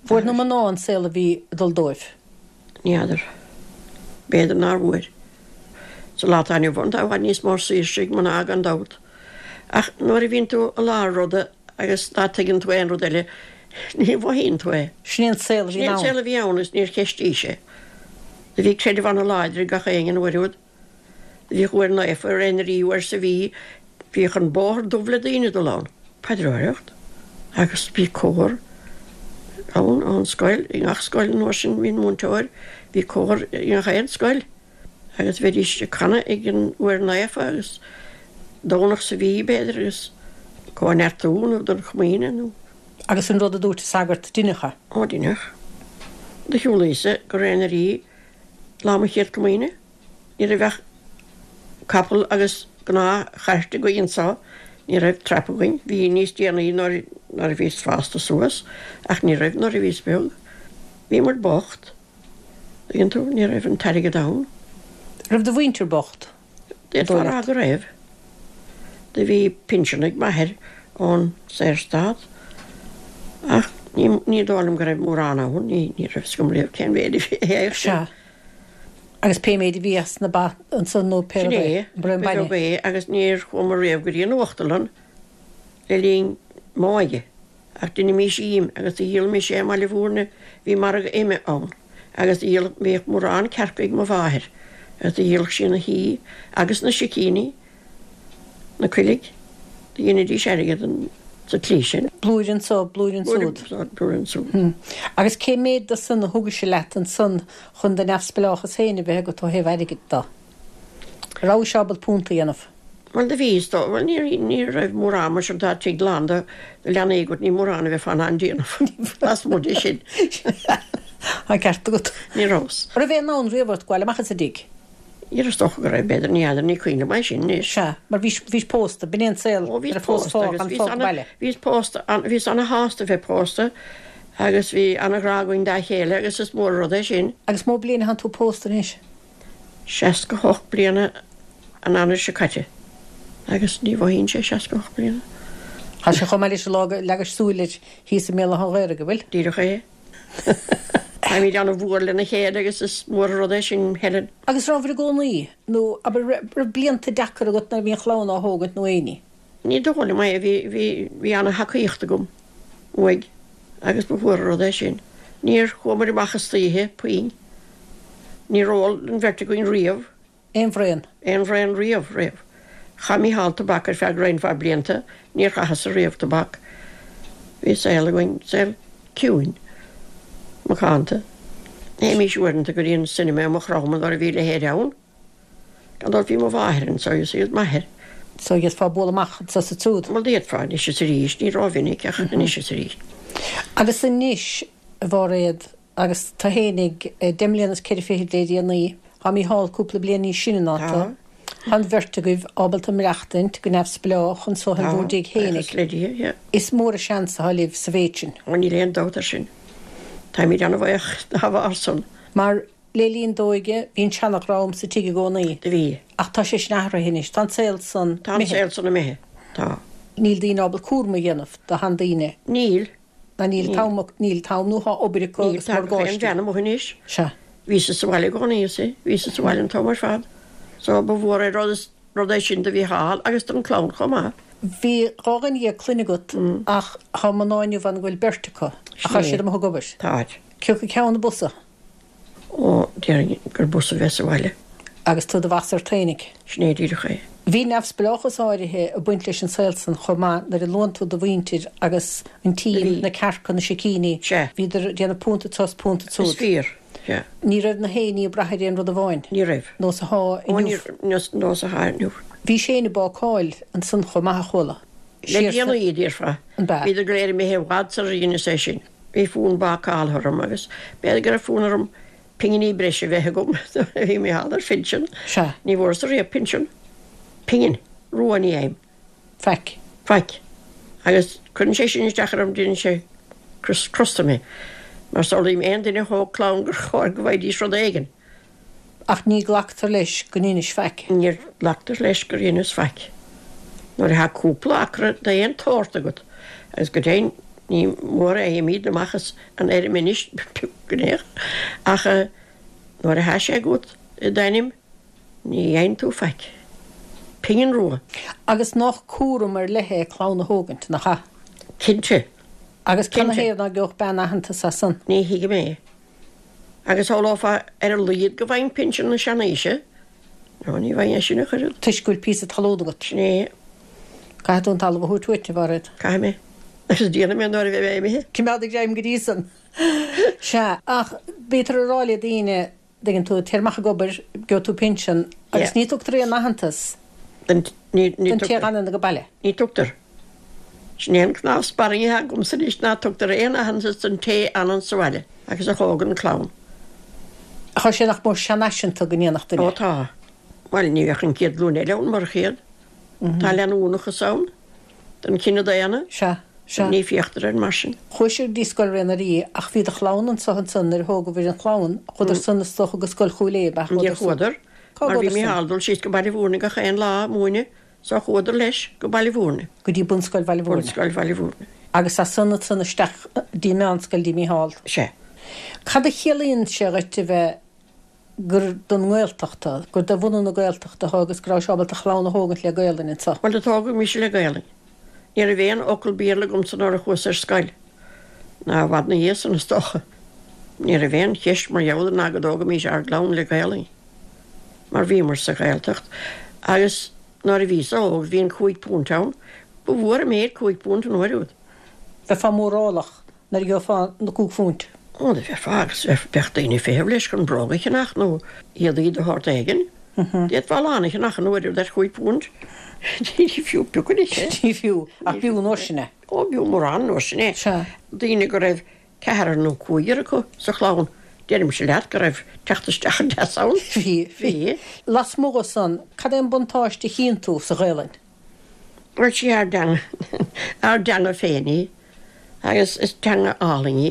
[SPEAKER 2] Fuair na mná an saol a bhí ag dul dóibh?
[SPEAKER 3] Ní fheadar. B'fhéidir nár bhfuair. Sa lá atá inniu ann tá i bhfad níos mó saoirse ag mná gan dabht. Ach nuair a bhíonn tú i lár ruda agus ná tuigeann tú aon rud eile, ní mhothaíonn tú é.
[SPEAKER 2] Sin é an saol a bhí
[SPEAKER 3] Sin é an
[SPEAKER 2] ann.
[SPEAKER 3] saol a bhí ann agus níor cheistís é. Do bhí creideamh ana-láidir ag gach éinne an uair úd. Do bhíodh uair naofa ar aon rí uair sa mhí, bhíodh an bóthar dubh le daoine ag dul ann. Paidreoireacht. Agus bhí cór ann, ón scoil, i ngach scoil an uair sin bhí an múinteoir, bhí cór i ngach aon scoil. Agus bheidís ag canadh ag an uair naofa agus Domhnach sa mhí, b'fhéidir, agus cóineartú nó don chomaoine nó.
[SPEAKER 2] Agus an rud a dúirt an sagart, deineadh é.
[SPEAKER 3] Ó, deineadh. Do shiúlaíos-sa go Réidh na Rí lá mo chéad comaoine. Ní raibh ach capall agus gnáth-chairt againn anso, ní raibh trap againn. Bhí níos déanaí nuair a bhíos fásta suas ach ní raibh nuair a bhíos beag. Bhíomar bocht. Tuigeann tú, ní raibh an t-airgead ann.
[SPEAKER 2] Raibh do mhuintir bocht?
[SPEAKER 3] D'fhéadfá a rá go raibh. Do bhí pinsean ag m'athair ón Saorstát ach ní, ní dóigh liom go raibh mórán ann, ní, ní raibh 'fhios agam riamh cén mhéid a bhí air sin.
[SPEAKER 2] Sea. Agus pé méid a bhí as na ba ansan nó pé
[SPEAKER 3] Sin
[SPEAKER 2] rud é,
[SPEAKER 3] é,
[SPEAKER 2] an braon
[SPEAKER 3] ba
[SPEAKER 2] bainne.
[SPEAKER 3] bheag é agus níor chuamar riamh go dtí an uachtarlann le linn m'óige. Ach dheinimís im agus do dhíolaimis é i mBaile Bhúirne, bhí margadh ime ann agus do dhíoladh, bhíodh mórán cearca ag mo mháthair agus do dhíoladh sí na hí agus na sicíní, na coiligh, do dheinidís airgead sa tslí sin.
[SPEAKER 2] Blúire anso, blúire ansúd.
[SPEAKER 3] Blúire ansúd.
[SPEAKER 2] Agus cé méid de san a thugaise leat ansan chun do neamhspleáchas féin a bheith agat ó thaobh airgid de? Rabhais ábalta punt a dhéanamh?
[SPEAKER 3] Bhuel, do bhí, is dóigh. Bhuel, ní, ní raibh mórán mar sin, tá tigh lán de leanaí agat, ní mórán a bheifeá in ann déanamh lasmuigh de sin.
[SPEAKER 2] Tá an ceart agat.
[SPEAKER 3] Ní rabhas.
[SPEAKER 2] Raibh aon fhonn riamh ort gabháil amach as an dtigh?
[SPEAKER 3] Níor, is dócha go raibh, b'fhéidir, ní fheadar, ní cuimhin liom é sin anois.
[SPEAKER 2] Sea, mar bhís, bhís pósta, b'in é an saol,
[SPEAKER 3] Ó, bhíos
[SPEAKER 2] nuair a phós
[SPEAKER 3] pósta
[SPEAKER 2] fág,
[SPEAKER 3] agus
[SPEAKER 2] an
[SPEAKER 3] bhíos
[SPEAKER 2] fág
[SPEAKER 3] ana,
[SPEAKER 2] baile.
[SPEAKER 3] bhíos pósta, an, bhíos ana-shásta bheith pósta agus bhí ana-ghrá againn dá chéile agus is mór an rud é sin.
[SPEAKER 2] Agus mó bliain atánn tú pósta anois?
[SPEAKER 3] 68 bliana an Eanáir seo caite agus ní mhothaíonn sé 68 bliana.
[SPEAKER 2] Tá sé chomh maith leis an lá go leagais súil air thíos i mBéal Átha an Ghaorthaidh, an bhfuil?
[SPEAKER 3] Díreach é. Táimid ana-mhór lena chéile agus is mór an rud é sin, Helen.
[SPEAKER 2] Agus rabhair i gcónaí, nó abair, raibh blianta deacair agat nuair a bhí an chlann á thógaint nó aon ní?
[SPEAKER 3] Ní dóigh liom é, bhí, bhí, bhí ana-thacaíocht agam uaidh agus ba mhór an rud é sin. Níor chuamar amach istoíche, puinn. Níor ól an bheirt againn riamh.
[SPEAKER 2] Aon bhraon.
[SPEAKER 3] Aon bhraon riamh, riamh. Chaith Mícheál tobac ar feadh roinnt mhaith blianta, níor chaitheas-sa riamh tobac. Bhí saol againn, saol ciúin, macánta. Théimís uaireanta go dtí an cinema i Maigh Chromtha nuair a bhí a leithéid ann. Gan dabht bhí mo mháthair anso is iad m'athair.
[SPEAKER 2] So d'fhéadfá bualadh amach anso is ansiúd.
[SPEAKER 3] Bhuel d'fhéadfá anois is arís, ní rómhinic ach anois is arís.
[SPEAKER 2] Agus anois, a Mháiréad, agus tu fhéinig deich mbliana is ceithre fichid le déanaí, tá Mícheál cúpla bliain níos sine ná tu, tá an bheirt agaibh ábalta maireachtaint go neamhspleách anso in
[SPEAKER 3] Tá,
[SPEAKER 2] bhur dtigh
[SPEAKER 3] buíochas
[SPEAKER 2] fhéinig.
[SPEAKER 3] le Dia, yeah.
[SPEAKER 2] Is mór an seans atá libh sa mhéid sin.
[SPEAKER 3] Ó níl aon dabht air sin. Táimid ana-bhuíoch dá bharr san.
[SPEAKER 2] Mar le linn d'óige, bhí an seanadhream sa tigh i gcónaí.
[SPEAKER 3] Do bhí.
[SPEAKER 2] Ach tá sé sin athraithe anois. Tá an saol san
[SPEAKER 3] Tá an
[SPEAKER 2] imithe.
[SPEAKER 3] saol san imithe. Tá.
[SPEAKER 2] Níl daoine ábalta cúram a dhéanamh do sheandaoine.
[SPEAKER 3] Níl.
[SPEAKER 2] Ná níl t-am, níl t-am nó tá obair acu
[SPEAKER 3] Níl,
[SPEAKER 2] agus
[SPEAKER 3] tá gach aon
[SPEAKER 2] morgáistí.
[SPEAKER 3] bhean amuigh anois.
[SPEAKER 2] Sea.
[SPEAKER 3] Bhíosa sa bhaile i gcónaí, you see. Bhíosa sa bhaile an t-am ar fad. So ba mhór an rud, rud é sin do Mhícheál agus don chlann chomh maith.
[SPEAKER 2] Bhí 12 dhuine clainne agat ach tá mná inniu ann go bhfuil beirt acu ach tá siad amuigh ag obair.
[SPEAKER 3] Táid.
[SPEAKER 2] Cé acu ceann ab fhusa?
[SPEAKER 3] Ó, déarfainn gur b'fhusa bheith sa bhaile.
[SPEAKER 2] Agus tú i do mheasar fhéinig.
[SPEAKER 3] Sin é díreach é.
[SPEAKER 2] Bhí neamhspleáchas áirithe ag baint leis an saol san chomh maith nuair a luann tú do mhuintir agus an tím, na cearca, na sicíní,
[SPEAKER 3] Sea.
[SPEAKER 2] bhíodar ag déanamh punt anso is punt
[SPEAKER 3] Is
[SPEAKER 2] ansúd.
[SPEAKER 3] fíor. Sea.
[SPEAKER 2] Ní raibh na héinní ag brath ar aon rud amháin.
[SPEAKER 3] Ní raibh.
[SPEAKER 2] Nós atá
[SPEAKER 3] Ó, ní
[SPEAKER 2] inniu.
[SPEAKER 3] raibh. Nós atá inniu.
[SPEAKER 2] Bhís féin ag bácáil ansan chomh maith a chuala.
[SPEAKER 3] Le
[SPEAKER 2] Siar sa.
[SPEAKER 3] déanaí, déarfá.
[SPEAKER 2] An b'ea?
[SPEAKER 3] Bhíodar go léir imithe i bhfad sular dheineas é sin. Bhí fonn bácála orm agus b'fhéidir go raibh fonn orm pinginí breise a bheith agam nuair a bhí Mícheál ar phinsean.
[SPEAKER 2] Sea.
[SPEAKER 3] Ní bhfuaireas-sa riamh pinsean. Pingin rua ní fhaighim.
[SPEAKER 2] Faic.
[SPEAKER 3] Faic. Agus cuireann sé sin isteach orm, déanann sé crosta mé. Mar samhlaím aon duine a thóg clann gur chóir go bhfaighidís rud éigin.
[SPEAKER 2] Ach ní glactar leis go ndeinis faic.
[SPEAKER 3] Ní ghlactar leis gur dheineas faic. Nuair atá cúpla acra d'aon tsórt agat, agus go deimhin ní mór a fhaighimid amach as an fheirm anois go léir, ach nuair atá sé agat i d'ainm ní fhaigheann tú faic. Pingin rua.
[SPEAKER 2] Agus nách cúram ar leith é clann a thógaint, nach ea?
[SPEAKER 3] Cinnte.
[SPEAKER 2] Agus
[SPEAKER 3] Cinnte.
[SPEAKER 2] canathaobh ná geobhadh bean aitheantas as san?
[SPEAKER 3] Ní thuigim é. Agus shamhlófá ar a laghad go bhfaighinn pinsean na seanaoise. Nó ní bhfaighinn é sin ach oiread.
[SPEAKER 2] Toisc go bhfuil píosa talún agat.
[SPEAKER 3] Sin é.
[SPEAKER 2] Caithfidh tú an talamh a thabhairt uait, a Mhairéad.
[SPEAKER 3] Caithfidh mé. Agus déanfaidh mé nuair a bheidh mé imithe.
[SPEAKER 2] Coimeád ag greim go dtí san. Sea, ach bítear ag rá le daoine, dtuigeann tú, téir amach ag obair, gheobhaidh tú pinsean, agus ní tugtar aon aitheantas
[SPEAKER 3] don
[SPEAKER 2] té a fhanann ag baile.
[SPEAKER 3] Ní tugtar. Sin é an cnámh spairne atá agamsa anois, ná tugtar aon aitheantas don té a fhanann sa bhaile agus a thógann clann.
[SPEAKER 2] Tá sé nach mór seanfhaiseanta go ndéanfadh duine.
[SPEAKER 3] Ó tá. Bhuel, ní bheadh an chéad ghlúin eile ann murach iad. Tá leanúnachas ann. don chine daonna.
[SPEAKER 2] Sea, sea.
[SPEAKER 3] Ní féachtar air mar sin.
[SPEAKER 2] Chuaigh siad go dtí Scoil Rae na Rí ach bhí do chlann anso ansan nuair a thógabhair an chlann, chuadar san is dócha go Scoil Chúil Aodha, ab ea?
[SPEAKER 3] Níor
[SPEAKER 2] Chuadar san.
[SPEAKER 3] chuadar,
[SPEAKER 2] Cá
[SPEAKER 3] mar bhí
[SPEAKER 2] gcuadar san?
[SPEAKER 3] Mícheál ag dul síos go Baile Mhúirne gach aon lá ag múineadh so chuadar leis go Baile Mhúirne.
[SPEAKER 2] Go dtí Bunscoil Bhaile Mhúirne.
[SPEAKER 3] Bunscoil Bhaile Mhúirne.
[SPEAKER 2] Agus as san ansan isteach dtí an meánscoil dtí Mícheál.
[SPEAKER 3] Sea.
[SPEAKER 2] Cad a chiallaíonn sé dhuit a bheith gur don nGaeltacht thú, gur de bhunadh na Gaeltachta thú agus go rabhais ábalta chlann a thógaint le Gaelainn anso.
[SPEAKER 3] Bhuel, do tógadh mise le Gaelainn. Ní raibh aon fhocal Béarla agamsa nuair a chuas ar scoil, ná i bhfad 'na dhiaidh san, is dócha. Ní raibh aon cheist mar gheall air ná go dtógfaimís ár gclann le Gaelainn, mar bhíomar sa Ghaeltacht agus nuair a bhíos óg bhí an £5 ann. Ba mhór an méid £5 an uair úd.
[SPEAKER 2] Bheifeá mórálach nuair a gheofá na £5.
[SPEAKER 3] Ó, do bheifeá agus bheadh daoine ag feitheamh leis chun bróga a cheannach nó éadaí de shórt éigin. D'fhéadfá a lán a cheannach an uair úd ar chúig phunt. Ní fiú pioc anois é.
[SPEAKER 2] Ní fiú, ach b'fhiú an uair sin é.
[SPEAKER 3] Ó, b'fhiú mórán an uair sin é.
[SPEAKER 2] Sea.
[SPEAKER 3] Daoine go raibh ceathrar nó cúigear acu sa chlann, deirimse leat go raibh teacht isteach deas ann.
[SPEAKER 2] Bhí, bhí. Lasmuigh dhe san, cad é an buntáiste a chíonn tú sa Ghaelainn?
[SPEAKER 3] Bhuel, sí ár dteanga, ár dteanga féin í agus is teanga álainn í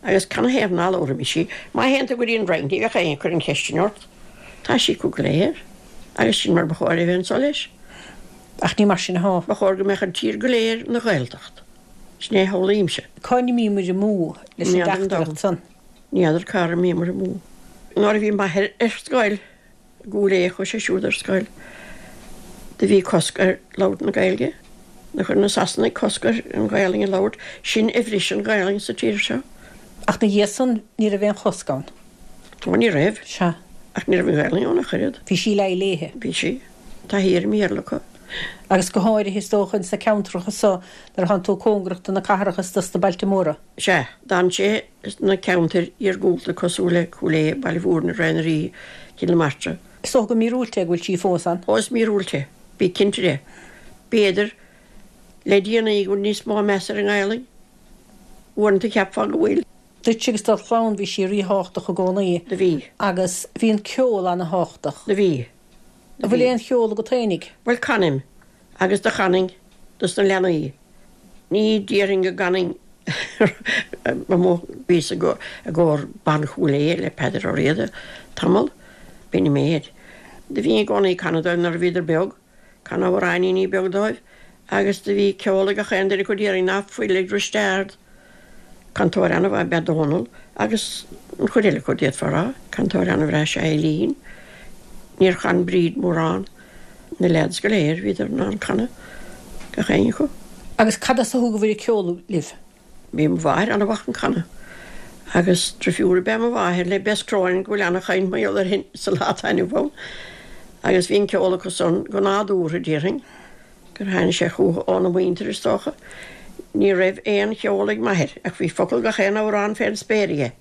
[SPEAKER 3] agus canathaobh ná labhróimis í? Má théann tú go dtí an Fhrainc ní bheadh éinne ag cur an cheist sin ort. Tá sí acu go léir agus sin mar ba chóir a bheith anso leis.
[SPEAKER 2] Ach ní mar sin athá.
[SPEAKER 3] Ba chóir go mbeadh an tír go léir ina Ghaeltacht. Sin é a shamhlaímse.
[SPEAKER 2] Cá n-imímid amú leis an dteachtaireacht san?
[SPEAKER 3] Ní fheadar cár imíomar amú. Nuair a bhí m'athair ar scoil I gCúil Aodha chuaigh sé siúd ar scoil. Do bhí cosc ar labhairt na Gaeilge. Do chuir na Sasanaigh cosc ar an Ghaelainn a labhairt. Sin a bhris an Ghaelainn sa tír seo.
[SPEAKER 2] Ach 'na dhiaidh san ní raibh aon chosc ann.
[SPEAKER 3] Ó ní raibh.
[SPEAKER 2] Sea.
[SPEAKER 3] Ach ní raibh an Ghaelainn ann ach oiread.
[SPEAKER 2] Bhí sí leath léithe.
[SPEAKER 3] Bhí sí. Taithí ar an mBéarla acu.
[SPEAKER 2] Agus go háirithe is dócha ins na ceantracha so nuair a thánn tú cóngarach do na cathracha is dos na bailte móra.
[SPEAKER 3] Sea. D'fhan sé sna ceantair iargúlta cosúil le Cúil Aodha, Baile Mhúirne, Rae na Rí, Cill na Martra.
[SPEAKER 2] Is dócha gur míorúilt é go bhfuil sí fós ann.
[SPEAKER 3] Ó is míorúilt é, bí cinnte de. B'fhéidir, le déanaí go bhfuil níos mó meas ar an nGaelainn. Uaireanta cheapfá go bhfuil.
[SPEAKER 2] Duit agus do chlann bhí sí ríthábhachtach i gcónaí.
[SPEAKER 3] Do bhí.
[SPEAKER 2] Agus bhí an ceol ana-thábhachtach.
[SPEAKER 3] Do bhí.
[SPEAKER 2] An bhfuil aon cheol agat fhéinig?
[SPEAKER 3] Bhuel canaim, agus do chanainn dos na leanaí. Ní déarfainn go gcanfainn amuigh, bhíos i gcór Ban Chúil Aodha le Peadar Ó Riada tamall, b'in an méid. Do bhínn i gcónaí ag canadh dóibh nuair a bhíodar beag, canadh amhráiníní beag dóibh agus do bhí ceol ag gach aon duine acu déarfainn ná fuil ag Risteard. Cantóir an-mhaith ab ea Dónal agus an chuid eile acu, d'fhéadfá a rá. Cantóir an-bhreá is ea Eileen. Níor chan Bríd mórán. Na leaids go léir, bhíodar in ann canadh, gach éinne acu.
[SPEAKER 2] Agus cad as a thugabhair an ceol libh?
[SPEAKER 3] Bhí mo mháthair an-mhaith chun canadh. Agus drifiúr ab ea mo mháthair le Bess Cronin go bhfuil an-chaint mar gheall uirthi sa lá atá inniu ann. Agus bhí an ceol acu san go nádúrtha, déarfainn. gur tháinig sé chucu óna muintir, is dócha. Ní raibh aon cheol ag m'athair, ach bhí focal gach aon amhrán fén spéir aige.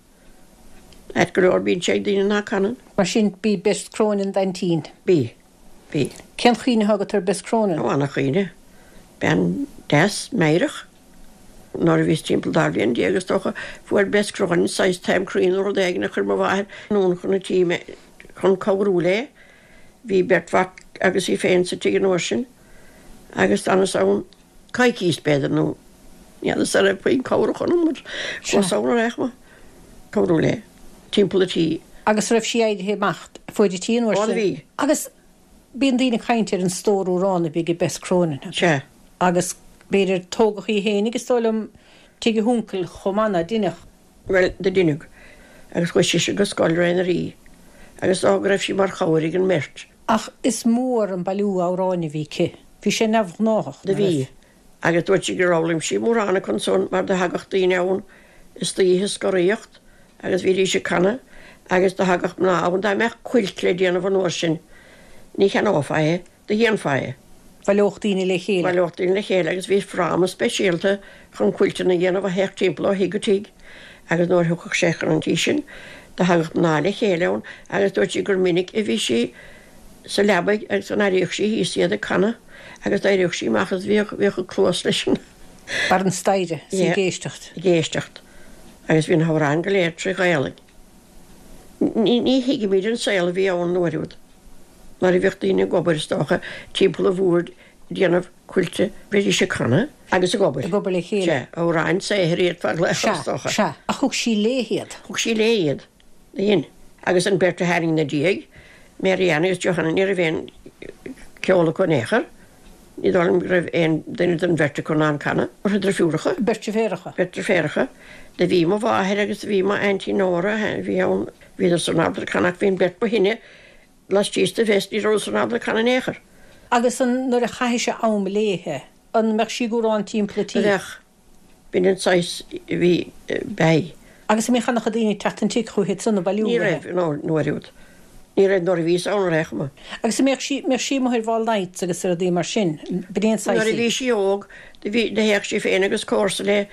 [SPEAKER 3] Ait go leor bíonn sé ag daoine ná canann.
[SPEAKER 2] Mar sin, b'í Bess Cronin d'aintín.
[SPEAKER 3] B'í. B'í.
[SPEAKER 2] Cén chuimhne atá agat ar Bess Cronin?
[SPEAKER 3] Ó, ana-chuimhne. Bean deas, meidhreach. Nuair a bhíos timpeall 12 bhliain, is dócha, fuair Bess Cronin saghas taom croí nó rud éigin a chuir mo mháthair anonn chun an tí mé chun cabhrú léi. Bhí beirt mhac agus í féin sa tigh an uair sin agus d'fhanas ann coicís, b'fhéidir, nó ní fheadar an raibh puinn cabhrach ionam mar chuas ann ar aon chuma, cabhrú léi timpeall an tí.
[SPEAKER 2] Agus raibh sí éirithe amach fuaid an tí an uair
[SPEAKER 3] sin? Ó bhí.
[SPEAKER 2] Agus bíonn daoine ag caint ar an stór amhrán a bhí ag Bess Cronin.
[SPEAKER 3] Sea.
[SPEAKER 2] Agus b'fhéidir tógadh í fhéinig, is dóigh liom, tigh a huncail chomh maith, ná deineadh?
[SPEAKER 3] Bhuel, do deineadh. Agus chuaigh sise go scoil Ré na Rí. Agus is dócha go raibh sí mar chabhair ag an mbeirt.
[SPEAKER 2] Ach is mór an bailiú amhráin a bhí aici. Bhí sé neamhghnáthach,
[SPEAKER 3] Do
[SPEAKER 2] ná
[SPEAKER 3] bhí.
[SPEAKER 2] raibh?
[SPEAKER 3] Agus dúirt sí gur fhoghlaim sí mórán acu ansan mar do thagadh daoine ann istoíche ag scoraíocht agus bhídís ag canadh agus do thagadh mná ann dá mbeadh cuilt le déanamh an uair sin ní cheannófá é. Do dhéanfá é.
[SPEAKER 2] Bhaileodh daoine le chéile.
[SPEAKER 3] Bhaileodh daoine le chéile agus bhí fráma speisialta chun cuilteanna a dhéanamh a théadh timpeall ó thigh go tigh agus nuair a thiocfadh sé chun an tí sin do thagadh mná le chéile ann agus dúirt sí gur minic a bhí sí sa leabaidh agus go n-airíodh sí thíos iad ag canadh agus d'éiríodh sí amach agus bhíodh bhíodh a cluas leis an.
[SPEAKER 2] Barr an staighre is í ag éisteacht.
[SPEAKER 3] Ag éisteacht agus bhí na hamhráin go léir trí Ghaelainn. Ní thuigimid an saol a bhí ann an uair úd. Nuair a bhíodh daoine ag obair, is dócha, timpeall an bhoird ag déanamh cuilte, bhídís ag canadh agus ag obair.
[SPEAKER 2] Ag obair le chéile.
[SPEAKER 3] Sea, amhráin saothair iad fá ghlaoch, is dócha.
[SPEAKER 2] Sea, sea. Ach thug sí léi iad.
[SPEAKER 3] Thug sí léi iad. Dhein. Agus an bheirt a tháinig ina diaidh, Mary Ann agus Johanna, ní raibh aon cheol acu in aon chor. Ní dóigh liom go raibh aon duine den bheirt acu in ann canadh. Beirt drifiúracha.
[SPEAKER 2] Beirt deirfiúracha.
[SPEAKER 3] Beirt deirfiúracha. Do bhí mo mháthair agus do bhí m'aintín Nóra, a bhí ann, bhíodar san ábalta canadh ach bhí an bheirt ba shine laistíos de Bhess, ní rabhadar san ábalta canadh in aon chor.
[SPEAKER 2] Agus an, nuair a chaithfeá am léithe, an mbeadh sí ag amhrán timpeall an tí?
[SPEAKER 3] Bheadh. B'in an saghas a bhí, b'ea.
[SPEAKER 2] Agus an mbíodh an-chuid daoine ag teacht an tigh chúithi ansan ag bailiú
[SPEAKER 3] Ní raibh, an uair úd. Ní raibh nuair a bhíos ann ar aon chuma.
[SPEAKER 2] Agus an mbeadh sí, mbeadh sí amuigh ar ball nights agus ar rudaí mar sin, b'in é an saghas
[SPEAKER 3] Nuair a bhí sí óg, do bhí, do théadh sí féin agus comharsa léi,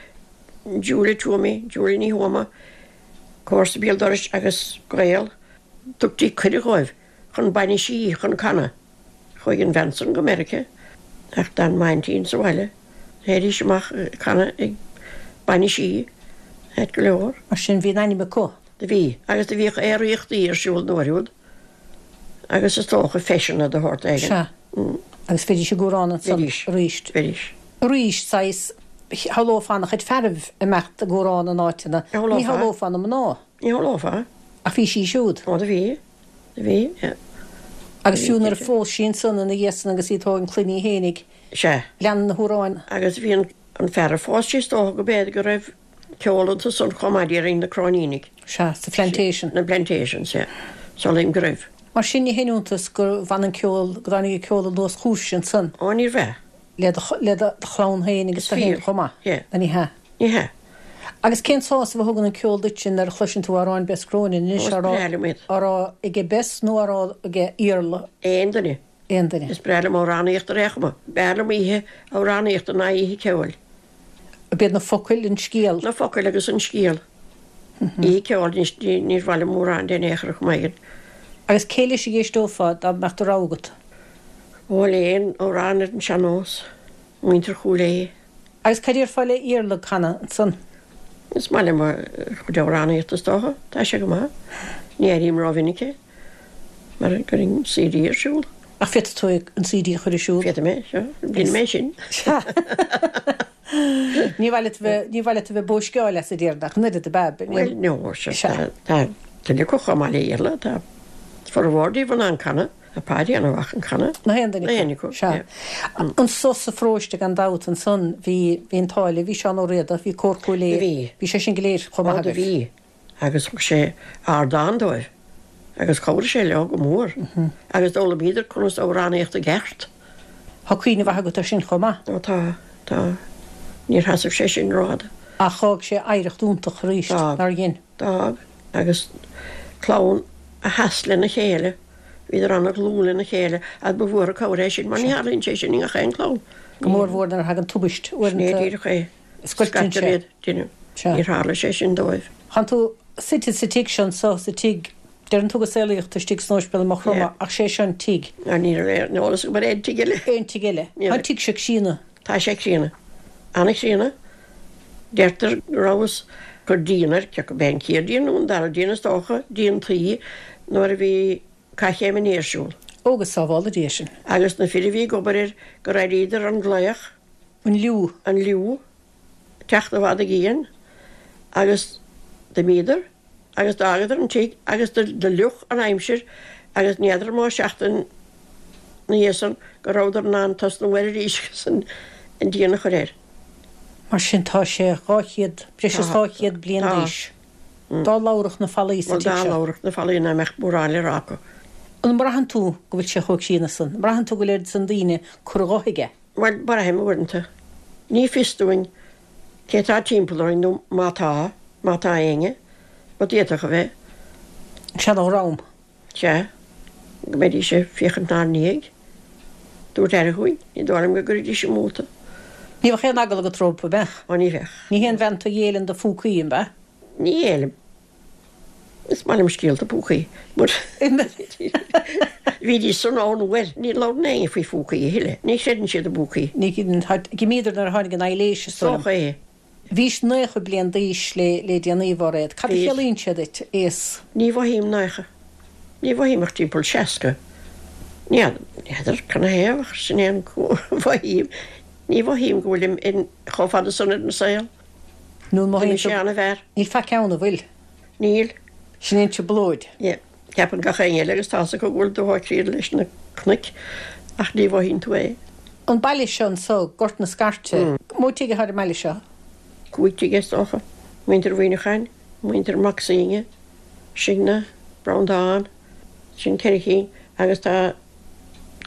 [SPEAKER 3] Julia Twomey, Julia Ní Thuama, comharsa béal dorais agus gaol. Tugtaí cuireadh dhóibh chun bainisí chun canadh. Chuaigh an bhean san go Meiriceá ach d'fhan m'aintín sa bhaile. Théidís amach ag canadh ag bainisí, ait go leor.
[SPEAKER 2] Mar sin bhí an ainm acu.
[SPEAKER 3] Do bhí. Agus do bhíodh aeraíochtaí ar siúl an uair úd agus is dócha feiseanna de shórt éigin.
[SPEAKER 2] Sea. Agus bheidís ag amhrán ansan
[SPEAKER 3] Bheidís.
[SPEAKER 2] arís.
[SPEAKER 3] Bheidís.
[SPEAKER 2] Arís, saghas, shamhlófá an-chuid fearaibh ag imeacht ag amhrán in áiteanna.
[SPEAKER 3] Ní
[SPEAKER 2] Shamhlófá. shamhlófá na mná.
[SPEAKER 3] Ní shamhlófá.
[SPEAKER 2] Ach bhí sí siúd.
[SPEAKER 3] Ó do bhí. Do bhí, yeah.
[SPEAKER 2] Agus fiú nuair a phós sí ansan ina dhiaidh san agus í ag tógaint clainne í fhéinig.
[SPEAKER 3] Sea.
[SPEAKER 2] Lean na hamhráin.
[SPEAKER 3] Agus bhí an, an fear a phós sí is dócha go b'fhéidir go raibh ceol iontu san chomh maith déarfainn, na Cróinínigh.
[SPEAKER 2] Sea, sa Phlantation.
[SPEAKER 3] Na Plantations, yeah. Samhlaím go raibh.
[SPEAKER 2] Mar sin ní haon iontas gur bhain an ceol, go dtáinig an ceol anuas chúibhse ansan.
[SPEAKER 3] Ó níorbh ea.
[SPEAKER 2] Le do, le do chlann féin agus
[SPEAKER 3] Is
[SPEAKER 2] tú féin
[SPEAKER 3] fíor.
[SPEAKER 2] chomh maith.
[SPEAKER 3] Yeah.
[SPEAKER 2] Nó ní hea?
[SPEAKER 3] Ní hea.
[SPEAKER 2] Agus cén sásamh a thugann an ceol duitse nuair a chloiseann tú amhráin Bess Cronin
[SPEAKER 3] Ó,
[SPEAKER 2] anois
[SPEAKER 3] is
[SPEAKER 2] á rá,
[SPEAKER 3] breá liom iad.
[SPEAKER 2] á rá aige Bess nó á rá aige Iarla?
[SPEAKER 3] Aon duine.
[SPEAKER 2] Aon duine.
[SPEAKER 3] Is breá liom amhránaíocht ar aon chuma. B'fhearr liom oíche amhránaíochta ná oíche ceoil.
[SPEAKER 2] Ab iad na focail, an scéal?
[SPEAKER 3] Na focail agus an scéal. Oíche ceoil, níor mhaith liom mórán de in aon chor, chuma éigin.
[SPEAKER 2] Agus cé leis a dh'éisteofá dá mbeadh do rogha agat?
[SPEAKER 3] Ó le aon amhrán ar an sean-nós, muintir Chúil Aodha.
[SPEAKER 2] Agus cad déarfá le Iarla ag canadh ansan?
[SPEAKER 3] Is maith liom a chuid amhránaíochta is dócha, tá sé go maith. Ní airím rómhinic é mar cuirim CD ar siúl.
[SPEAKER 2] Ach féadfaidh tú an CD a chur ar siúl?
[SPEAKER 3] Féadfaidh mé, sea. Déanfaidh mé sin.
[SPEAKER 2] Sea. Ní mhaith leat a bheith, ní mhaith leat a bheith ag bóisceáil as a déarfainn ach an oiread ab ea?
[SPEAKER 3] Bhuel, no, sea. Tá tuilleadh acu chomh maith le Iarla, tá formhór díobh in ann canadh. Tá Páidí an-mhaith ag canadh.
[SPEAKER 2] Na haon duine
[SPEAKER 3] acu. Na haon acu,
[SPEAKER 2] sea. Anso sa pharóiste gan dabht ansan bhí, bhí an t-ádh libh, bhí Seán Ó Riada, bhí Cór Chúil Aodha.
[SPEAKER 3] Bhí.
[SPEAKER 2] Bhí sé sin go léir chomh maith
[SPEAKER 3] agaibh. Ó do bhí. Agus thug sé ardán dóibh agus chabhraigh sé leo go mór agus d'fhoghlaimíodar conas amhránaíocht i gceart.
[SPEAKER 2] Tá cuimhne mhaith agat air sin chomh maith.
[SPEAKER 3] Ó tá, tá. Níor sheasaimh sé sin rófhada.
[SPEAKER 2] Ach dh'fhág sé oidhreacht iontach arís, nár dhein?
[SPEAKER 3] D'fhág. Agus clann a sheas lena chéile. Bhíodar ana-dhlúth lena chéile agus ba mhór an cabhair é sin mar ní tharlaíonn sé sin i ngach aon chlann.
[SPEAKER 2] Go mór mhór nuair a thagann tubaist,
[SPEAKER 3] uaireanta. Sin é díreach é.
[SPEAKER 2] Scoilteann
[SPEAKER 3] sé. Iad, déanamh.
[SPEAKER 2] Sea.
[SPEAKER 3] Níor tharla sé sin dóibh.
[SPEAKER 2] Tánn tú suite sa tigh seo anso, sa tigh, deireann tú go saolaíodh tú istigh san Óispidéal i Maigh Chromtha ach sé seo an tigh.
[SPEAKER 3] Ná ní raibh aon eolas agam ar aon tigh eile.
[SPEAKER 2] Aon tigh eile.
[SPEAKER 3] Ní
[SPEAKER 2] Tá
[SPEAKER 3] raibh.
[SPEAKER 2] an tigh seo críonna.
[SPEAKER 3] Tá sé críonna. Ana-chríonna. Deirtear go rabhthas ag cur díon air, cé acu b'é an chéad díon nó an dara díon is dócha, díon tuí, nuair a bhí Cath Chéim an Fhia ar siúl.
[SPEAKER 2] Ó, go sábhála Dia sinn.
[SPEAKER 3] Agus na fir a bhí ag obair air gur airíodar an glaoch.
[SPEAKER 2] An liú.
[SPEAKER 3] An liú. Ag teacht i bhfad i gcian agus d'imíodar. Agus d'fhágadar an tigh agus do fhliuch an aimsir agus ní fheadar an mó seachtain 'na dhiaidh san go rabhadar in ann tosnú air arís agus an díon a chur air.
[SPEAKER 2] Mar sin tá sé 200, breis is 200 bliain d'aois. Dá labharfadh na fallaí sa
[SPEAKER 3] tigh
[SPEAKER 2] seo.
[SPEAKER 3] Bhuel, dá labharfadh na fallaí ná mbeadh mórán le rá acu.
[SPEAKER 2] An mbraitheann tú go bhfuil sé chomh críonna san? An mbraitheann tú go bhfuil oiread san daoine curtha dho aige?
[SPEAKER 3] Bhuel, braithim uaireanta. Ní fios dúinn Cé tá timpeall orainn nó má tá, má tá éinne, but d'fhéadfadh a bheith.
[SPEAKER 2] Seana-dhream.
[SPEAKER 3] Sea, go mbeidís ag féachaint 'nár ndiaidh, dúirt aire chugainn, ní dóigh liom go gcuirfidís amú tú.
[SPEAKER 2] Ní bheadh aon eagla agat rompu, an mbeadh?
[SPEAKER 3] Ó ní bheadh.
[SPEAKER 2] Ní haon bhean tú a ghéilleann do phúcaí, an ea?
[SPEAKER 3] Ní ghéillim. Is maith liom scéalta púcaí, but bhídís san ann uair. Ní labhrann éinne faoi phúcaí a thuilleadh. Ní chreideann siad i bpúcaí.
[SPEAKER 2] Ní D'imíodar nuair a tháinig an aibhléis, is dóigh liom.
[SPEAKER 3] Dócha é.
[SPEAKER 2] Bhís naocha bliain d'aois le le déanaí, a Mháiréad. Cad a chiallaíonn sé duit, aos?
[SPEAKER 3] Ní mhothaím naocha. Ní mhothaím ach timpeall 60. Ní fheadar canathaobh ach sin é an mhothaím. Ní mhothaím go bhfuilim in chomh fada san ar an saol.
[SPEAKER 2] Nó an mothaíonn
[SPEAKER 3] D'imigh sé
[SPEAKER 2] tú.
[SPEAKER 3] an-mhear.
[SPEAKER 2] Níl faic ann, an bhfuil?
[SPEAKER 3] Níl.
[SPEAKER 2] Sin é an trioblóid.
[SPEAKER 3] Yeah. Ceapann gach éinne eile agus tá's acu go bhfuil tú chomh críonna leis na cnoic ach ní mhothaíonn tú é.
[SPEAKER 2] An baile seo anso, Gort na Scairte, mó tigh atá ar an mbaile seo?
[SPEAKER 3] Cúig tigh is dócha. Muintir Mhuineacháin, muintir Mac Suibhne, Sinne, Breandán, sin ceithre chinn agus tá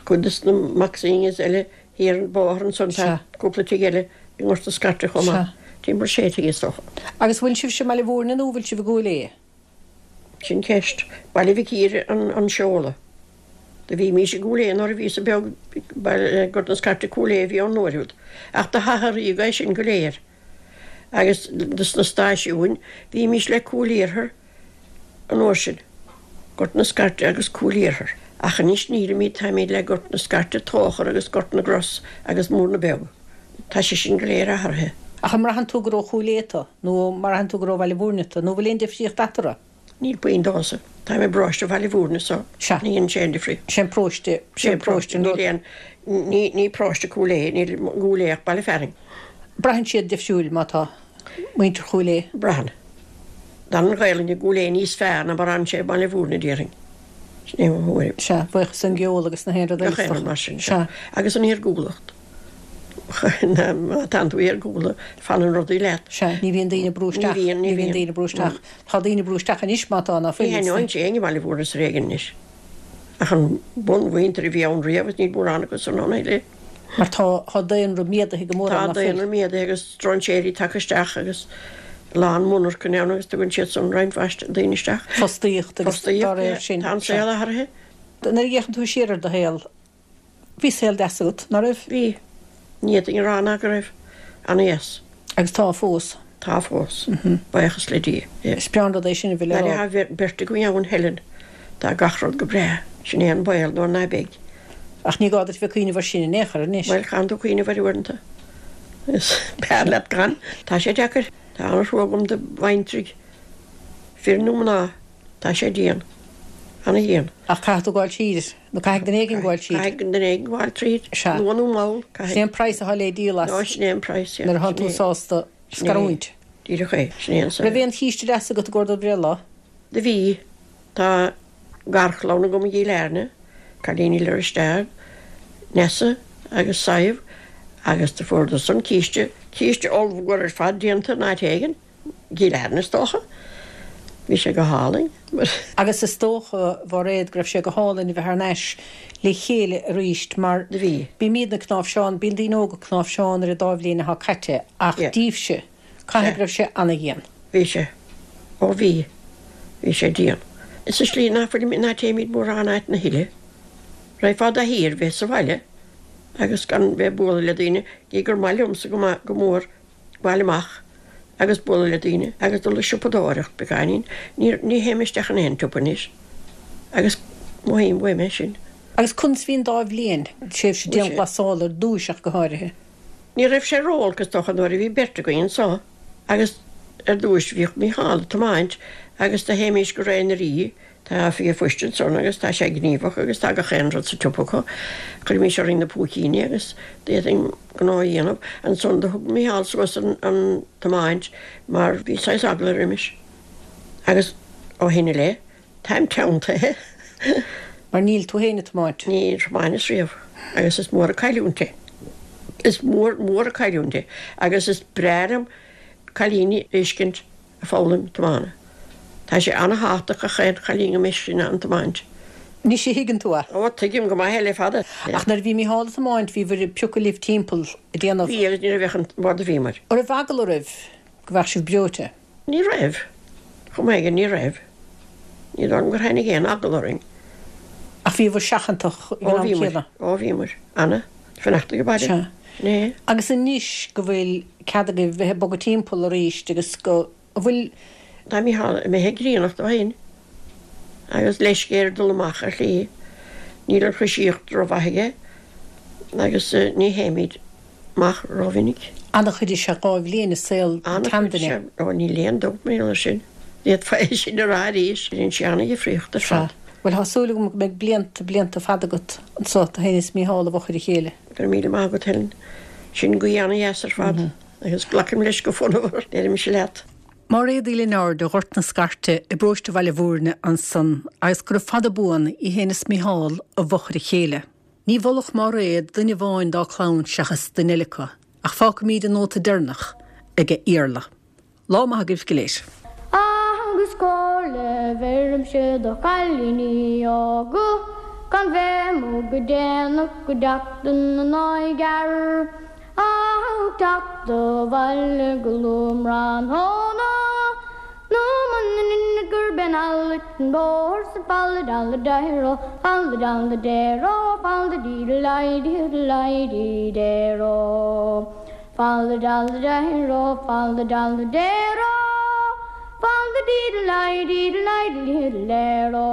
[SPEAKER 3] cuid de na Mac Suibhnes eile Thiar an bóthar ansan tá cúpla tigh eile i nGort na Scairte chomh maith. Timpeall sé tigh is dócha.
[SPEAKER 2] Agus bhfuil sibhse i mBaile Mhúirne nó bhfuil sibh i gCúil Aodha?
[SPEAKER 3] Sin ceist. Baile Mhic Íre an seoladh. Do bhímís i gCúil Aodha nuair a bhíos-sa beag, Gort na Scairte Cúil Aodha a bhí ann an uair úd. Ach do hathraíodh é sin go léir. Agus dos na stáisiúin, bhímís le Cúil Iarthair an uair sin, Gort na Scairte agus Cúil Iarthair. Ach anois nílimid, táimid le Gort na Scairte, Tóchar agus Gort na gCros agus Múrna Beag. Tá sé sin go léir athraithe.
[SPEAKER 2] Ach an mbraitheann tú gur ó Chúil Aodha tú, nó an mbraitheann tú gur ó Bhaile Mhúirne tú, nó bhfuil aon difríocht eatarthu?
[SPEAKER 3] Níl puinn domhsa. Táim i bparóiste Bhaile Mhúirne so
[SPEAKER 2] Sea.
[SPEAKER 3] ní dhéanann sé aon difríocht.
[SPEAKER 2] Sé an paróiste, sé an paróiste an
[SPEAKER 3] Níl
[SPEAKER 2] rud.
[SPEAKER 3] aon, ní, ní paróiste Cúil Aodha, níl i gCúil Aodha ach baile fearainn.
[SPEAKER 2] Braitheann siad difriúil má tá muintir Chúil Aodha.
[SPEAKER 3] Braitheann. D'fhan an Ghaelainn i gCúil Aodha níos fearr ná mar a fhan sé i mBaile Mhúirne, déarfainn. Sin é mo thuairim.
[SPEAKER 2] Sea, buíochas don gceol agus na haon rud eile
[SPEAKER 3] Gach
[SPEAKER 2] is
[SPEAKER 3] aon rud
[SPEAKER 2] dócha.
[SPEAKER 3] mar sin, sea.
[SPEAKER 2] Sea.
[SPEAKER 3] Agus an iargúlacht. Má tánn tú iargúlta, fanann rudaí leat.
[SPEAKER 2] Sea, ní bhíonn daoine ag brú isteach.
[SPEAKER 3] Ní bhíonn,
[SPEAKER 2] ní bhíonn daoine ag brú isteach. Tá daoine ag brú isteach anois má tá, ná
[SPEAKER 3] Ní
[SPEAKER 2] fuil.
[SPEAKER 3] haithneoinnse éinne i mBaile Mhúirne is ar éigean anois. Ach an bunmhuintir a bhí ann riamh agus níl mórán acu san ann a thuilleadh.
[SPEAKER 2] Mar tá, tá daonra méadaithe go mór
[SPEAKER 3] Tá
[SPEAKER 2] ann, ná fuil?
[SPEAKER 3] daonra méadaithe agus stróinséirí tagtha isteach agus a lán monarchan ann agus tugann siad san roinnt mhaith daoine isteach.
[SPEAKER 2] Fostaíocht agus dá réir sin.
[SPEAKER 3] Fostaíocht, tá an saol athraithe.
[SPEAKER 2] Nuair a fhéachann tú siar ar do shaol, Bhí saol deas agat, ná raibh?
[SPEAKER 3] Bhí. Ní fhéadfainn a rá ná go raibh. Ana-dheas.
[SPEAKER 2] Agus tá fós.
[SPEAKER 3] Tá fós. Buíochas le Dia.
[SPEAKER 2] Is breá an rud é sin a bheith le rá.
[SPEAKER 3] Tá beirt againn ann, Helen. Tá gach rud go breá. Sin é an baol nuair ná beidh.
[SPEAKER 2] Ach ní gá duit bheith ag cuimhneamh air sin in aon chor anois.
[SPEAKER 3] Bhuel, caitheann tú cuimhneamh air uaireanta. Is b'fhearr leat gan. Tá sé deacair. Tá an-trua agam do bhaintrí, fir nó mná. Tá sé dian. Ana-dhian.
[SPEAKER 2] Ach caithfidh tú gabháil tríd, nó caithfidh duine éigin gabháil tríd.
[SPEAKER 3] Caithfidh duine éigin gabháil tríd. Sea. Luath nó mall,
[SPEAKER 2] caithfidh. Sin é an praghas atá le díol as.
[SPEAKER 3] Nó sin é an praghas,
[SPEAKER 2] yeah. Nuair atánn tú sásta scarúint.
[SPEAKER 3] Díreach é. Sin é an
[SPEAKER 2] saol. Raibh aon chíste deas agat i gcomhair do bhreithlá?
[SPEAKER 3] Do bhí. Tá garchlann agam i gCill Airne, cailíní le Risteard, Neasa agus Sadhbh agus do fuaireadar san císte, císte ollmhór ar fad déanta in áit éigin, i gCill Airne is dócha. Bhí sé go hálainn.
[SPEAKER 2] Agus is dócha, a Mháiréad, go raibh sé go hálainn a bheith thar n-ais le chéile arís mar
[SPEAKER 3] Do bhí.
[SPEAKER 2] bímídne ag cnáimhseán, bíonn daoine óga ag cnáimhseán ar an dá bhliain atá caite ach díbhse, Caithfidh go raibh sé ana-dhian.
[SPEAKER 3] Bhí sé. Ó bhí. Bhí sé dian. Sa slí ná fuilimid, ná téimid mórán áiteanna a thuilleadh. Raghfá i do thaithí ar bheith sa bhaile agus gan bheith ag bualadh le daoine, gidh gur maith liomsa go maith, go mór, gabháil amach agus bualadh le daoine agus dul ag siopadóireacht beagáinín. Ní, ní théim isteach in aon tsiopa anois agus mothaím uaim é sin.
[SPEAKER 2] Agus conas bhí an dá bhliain, tréimhse dianghlasála ar dtúis ach go háirithe?
[SPEAKER 3] Ní raibh sé ró-olc is dócha nuair a bhí beirt againn anso agus ar dtúis bhíodh Mícheál ag tiomáint agus do théimís go Ré na Rí, tá oifig an phoist ansan agus tá sé gníomhach agus tá gach aon rud sa tsiopa acu. Chuirimís orainn na púicíní agus d'fhéadfainn gnó a dhéanamh. Ansan do thug Mícheál suas an tiomáint mar bhí saghas eagla roimis agus ó shin i leith Táim teanntaithe.
[SPEAKER 2] Mar níl tú féin ag tiomáint.
[SPEAKER 3] Níor thiomáineas riamh agus is mór an cailliúint é. Is mór, mór an cailliúint é agus is breá liom cailíní a fheiscint ag foghlaim tiomána. Tá sé ana-thábhachtach gach aon chailín go mbeidh sí in ann tiomáint.
[SPEAKER 2] Anois a thuigeann tú é.
[SPEAKER 3] Ó, tuigim go maith é le fada.
[SPEAKER 2] Ach nuair a bhí Mícheál ag tiomáint bhíobhair ag piocadh libh timpeall ag déanamh.
[SPEAKER 3] Bhí agus ní raibh ach an bord a bhíomair.
[SPEAKER 2] An raibh eagla oraibh go mbeadh sibh breoite?
[SPEAKER 3] Ní raibh. Chomh maith aige, ní raibh. Ní dóigh liom gur tháinig aon eagla orainn.
[SPEAKER 2] Ach bhíobhair seachantach ag an am
[SPEAKER 3] céanna. Ó, bhíomair. Ana. Fanacht ag baile.
[SPEAKER 2] Sea.
[SPEAKER 3] Sin é.
[SPEAKER 2] Agus anois go bhfuil cead agaibh bheith ag bogadh timpeall arís agus go bhfuil.
[SPEAKER 3] Tá Mícheál imithe grianach ó shin agus leisce air dul amach ar shlí. Níl an choisíocht rómhaith aige agus ní théimid. amach rómhinic.
[SPEAKER 2] An-chuid is ea 2 bhliain i saol an tseanduine.
[SPEAKER 3] Ó, níl aon dabht mar gheall air sin. D'fhéadfá é sin a rá arís. Rinne sé an-dhifríocht ar fad.
[SPEAKER 2] Bhuel, tá súil agam go mbeidh blianta, blianta fada agat anso, tú féin is Mícheál i bhfochair a chéile.
[SPEAKER 3] Go raibh míle maith agat, Helen. Sin guí an-dheas ar fad agus glacaim leis go fonnmhar, deirimse leat.
[SPEAKER 2] Máiréad Uí Lionáird ó Ghort na Scairte i bparóiste Bhaile Bhúirne ansan agus gura fada buan í féin is Mícheál i bhfochair a chéile. Ní mholfadh Máiréad duine amháin dá clann seachas duine eile acu, ach fágfaimíd an nóta deireanach aige Iarla. Lá maith agaibh go léir.
[SPEAKER 1] Agus comhairle bheirimse do chailíní óga gan bheith amuigh go déanach go dteachtann an oighear ach teacht abhaile go luath tráthnóna. Nó muna ndeineann gurb é an fhallaing an bóthar sa falla dalla deiro, falla dalla deiro, falla dee dee dee dee deiro. Falla dalla deiro, falla dalla deiro, falla dee dee dee dee dee deiro.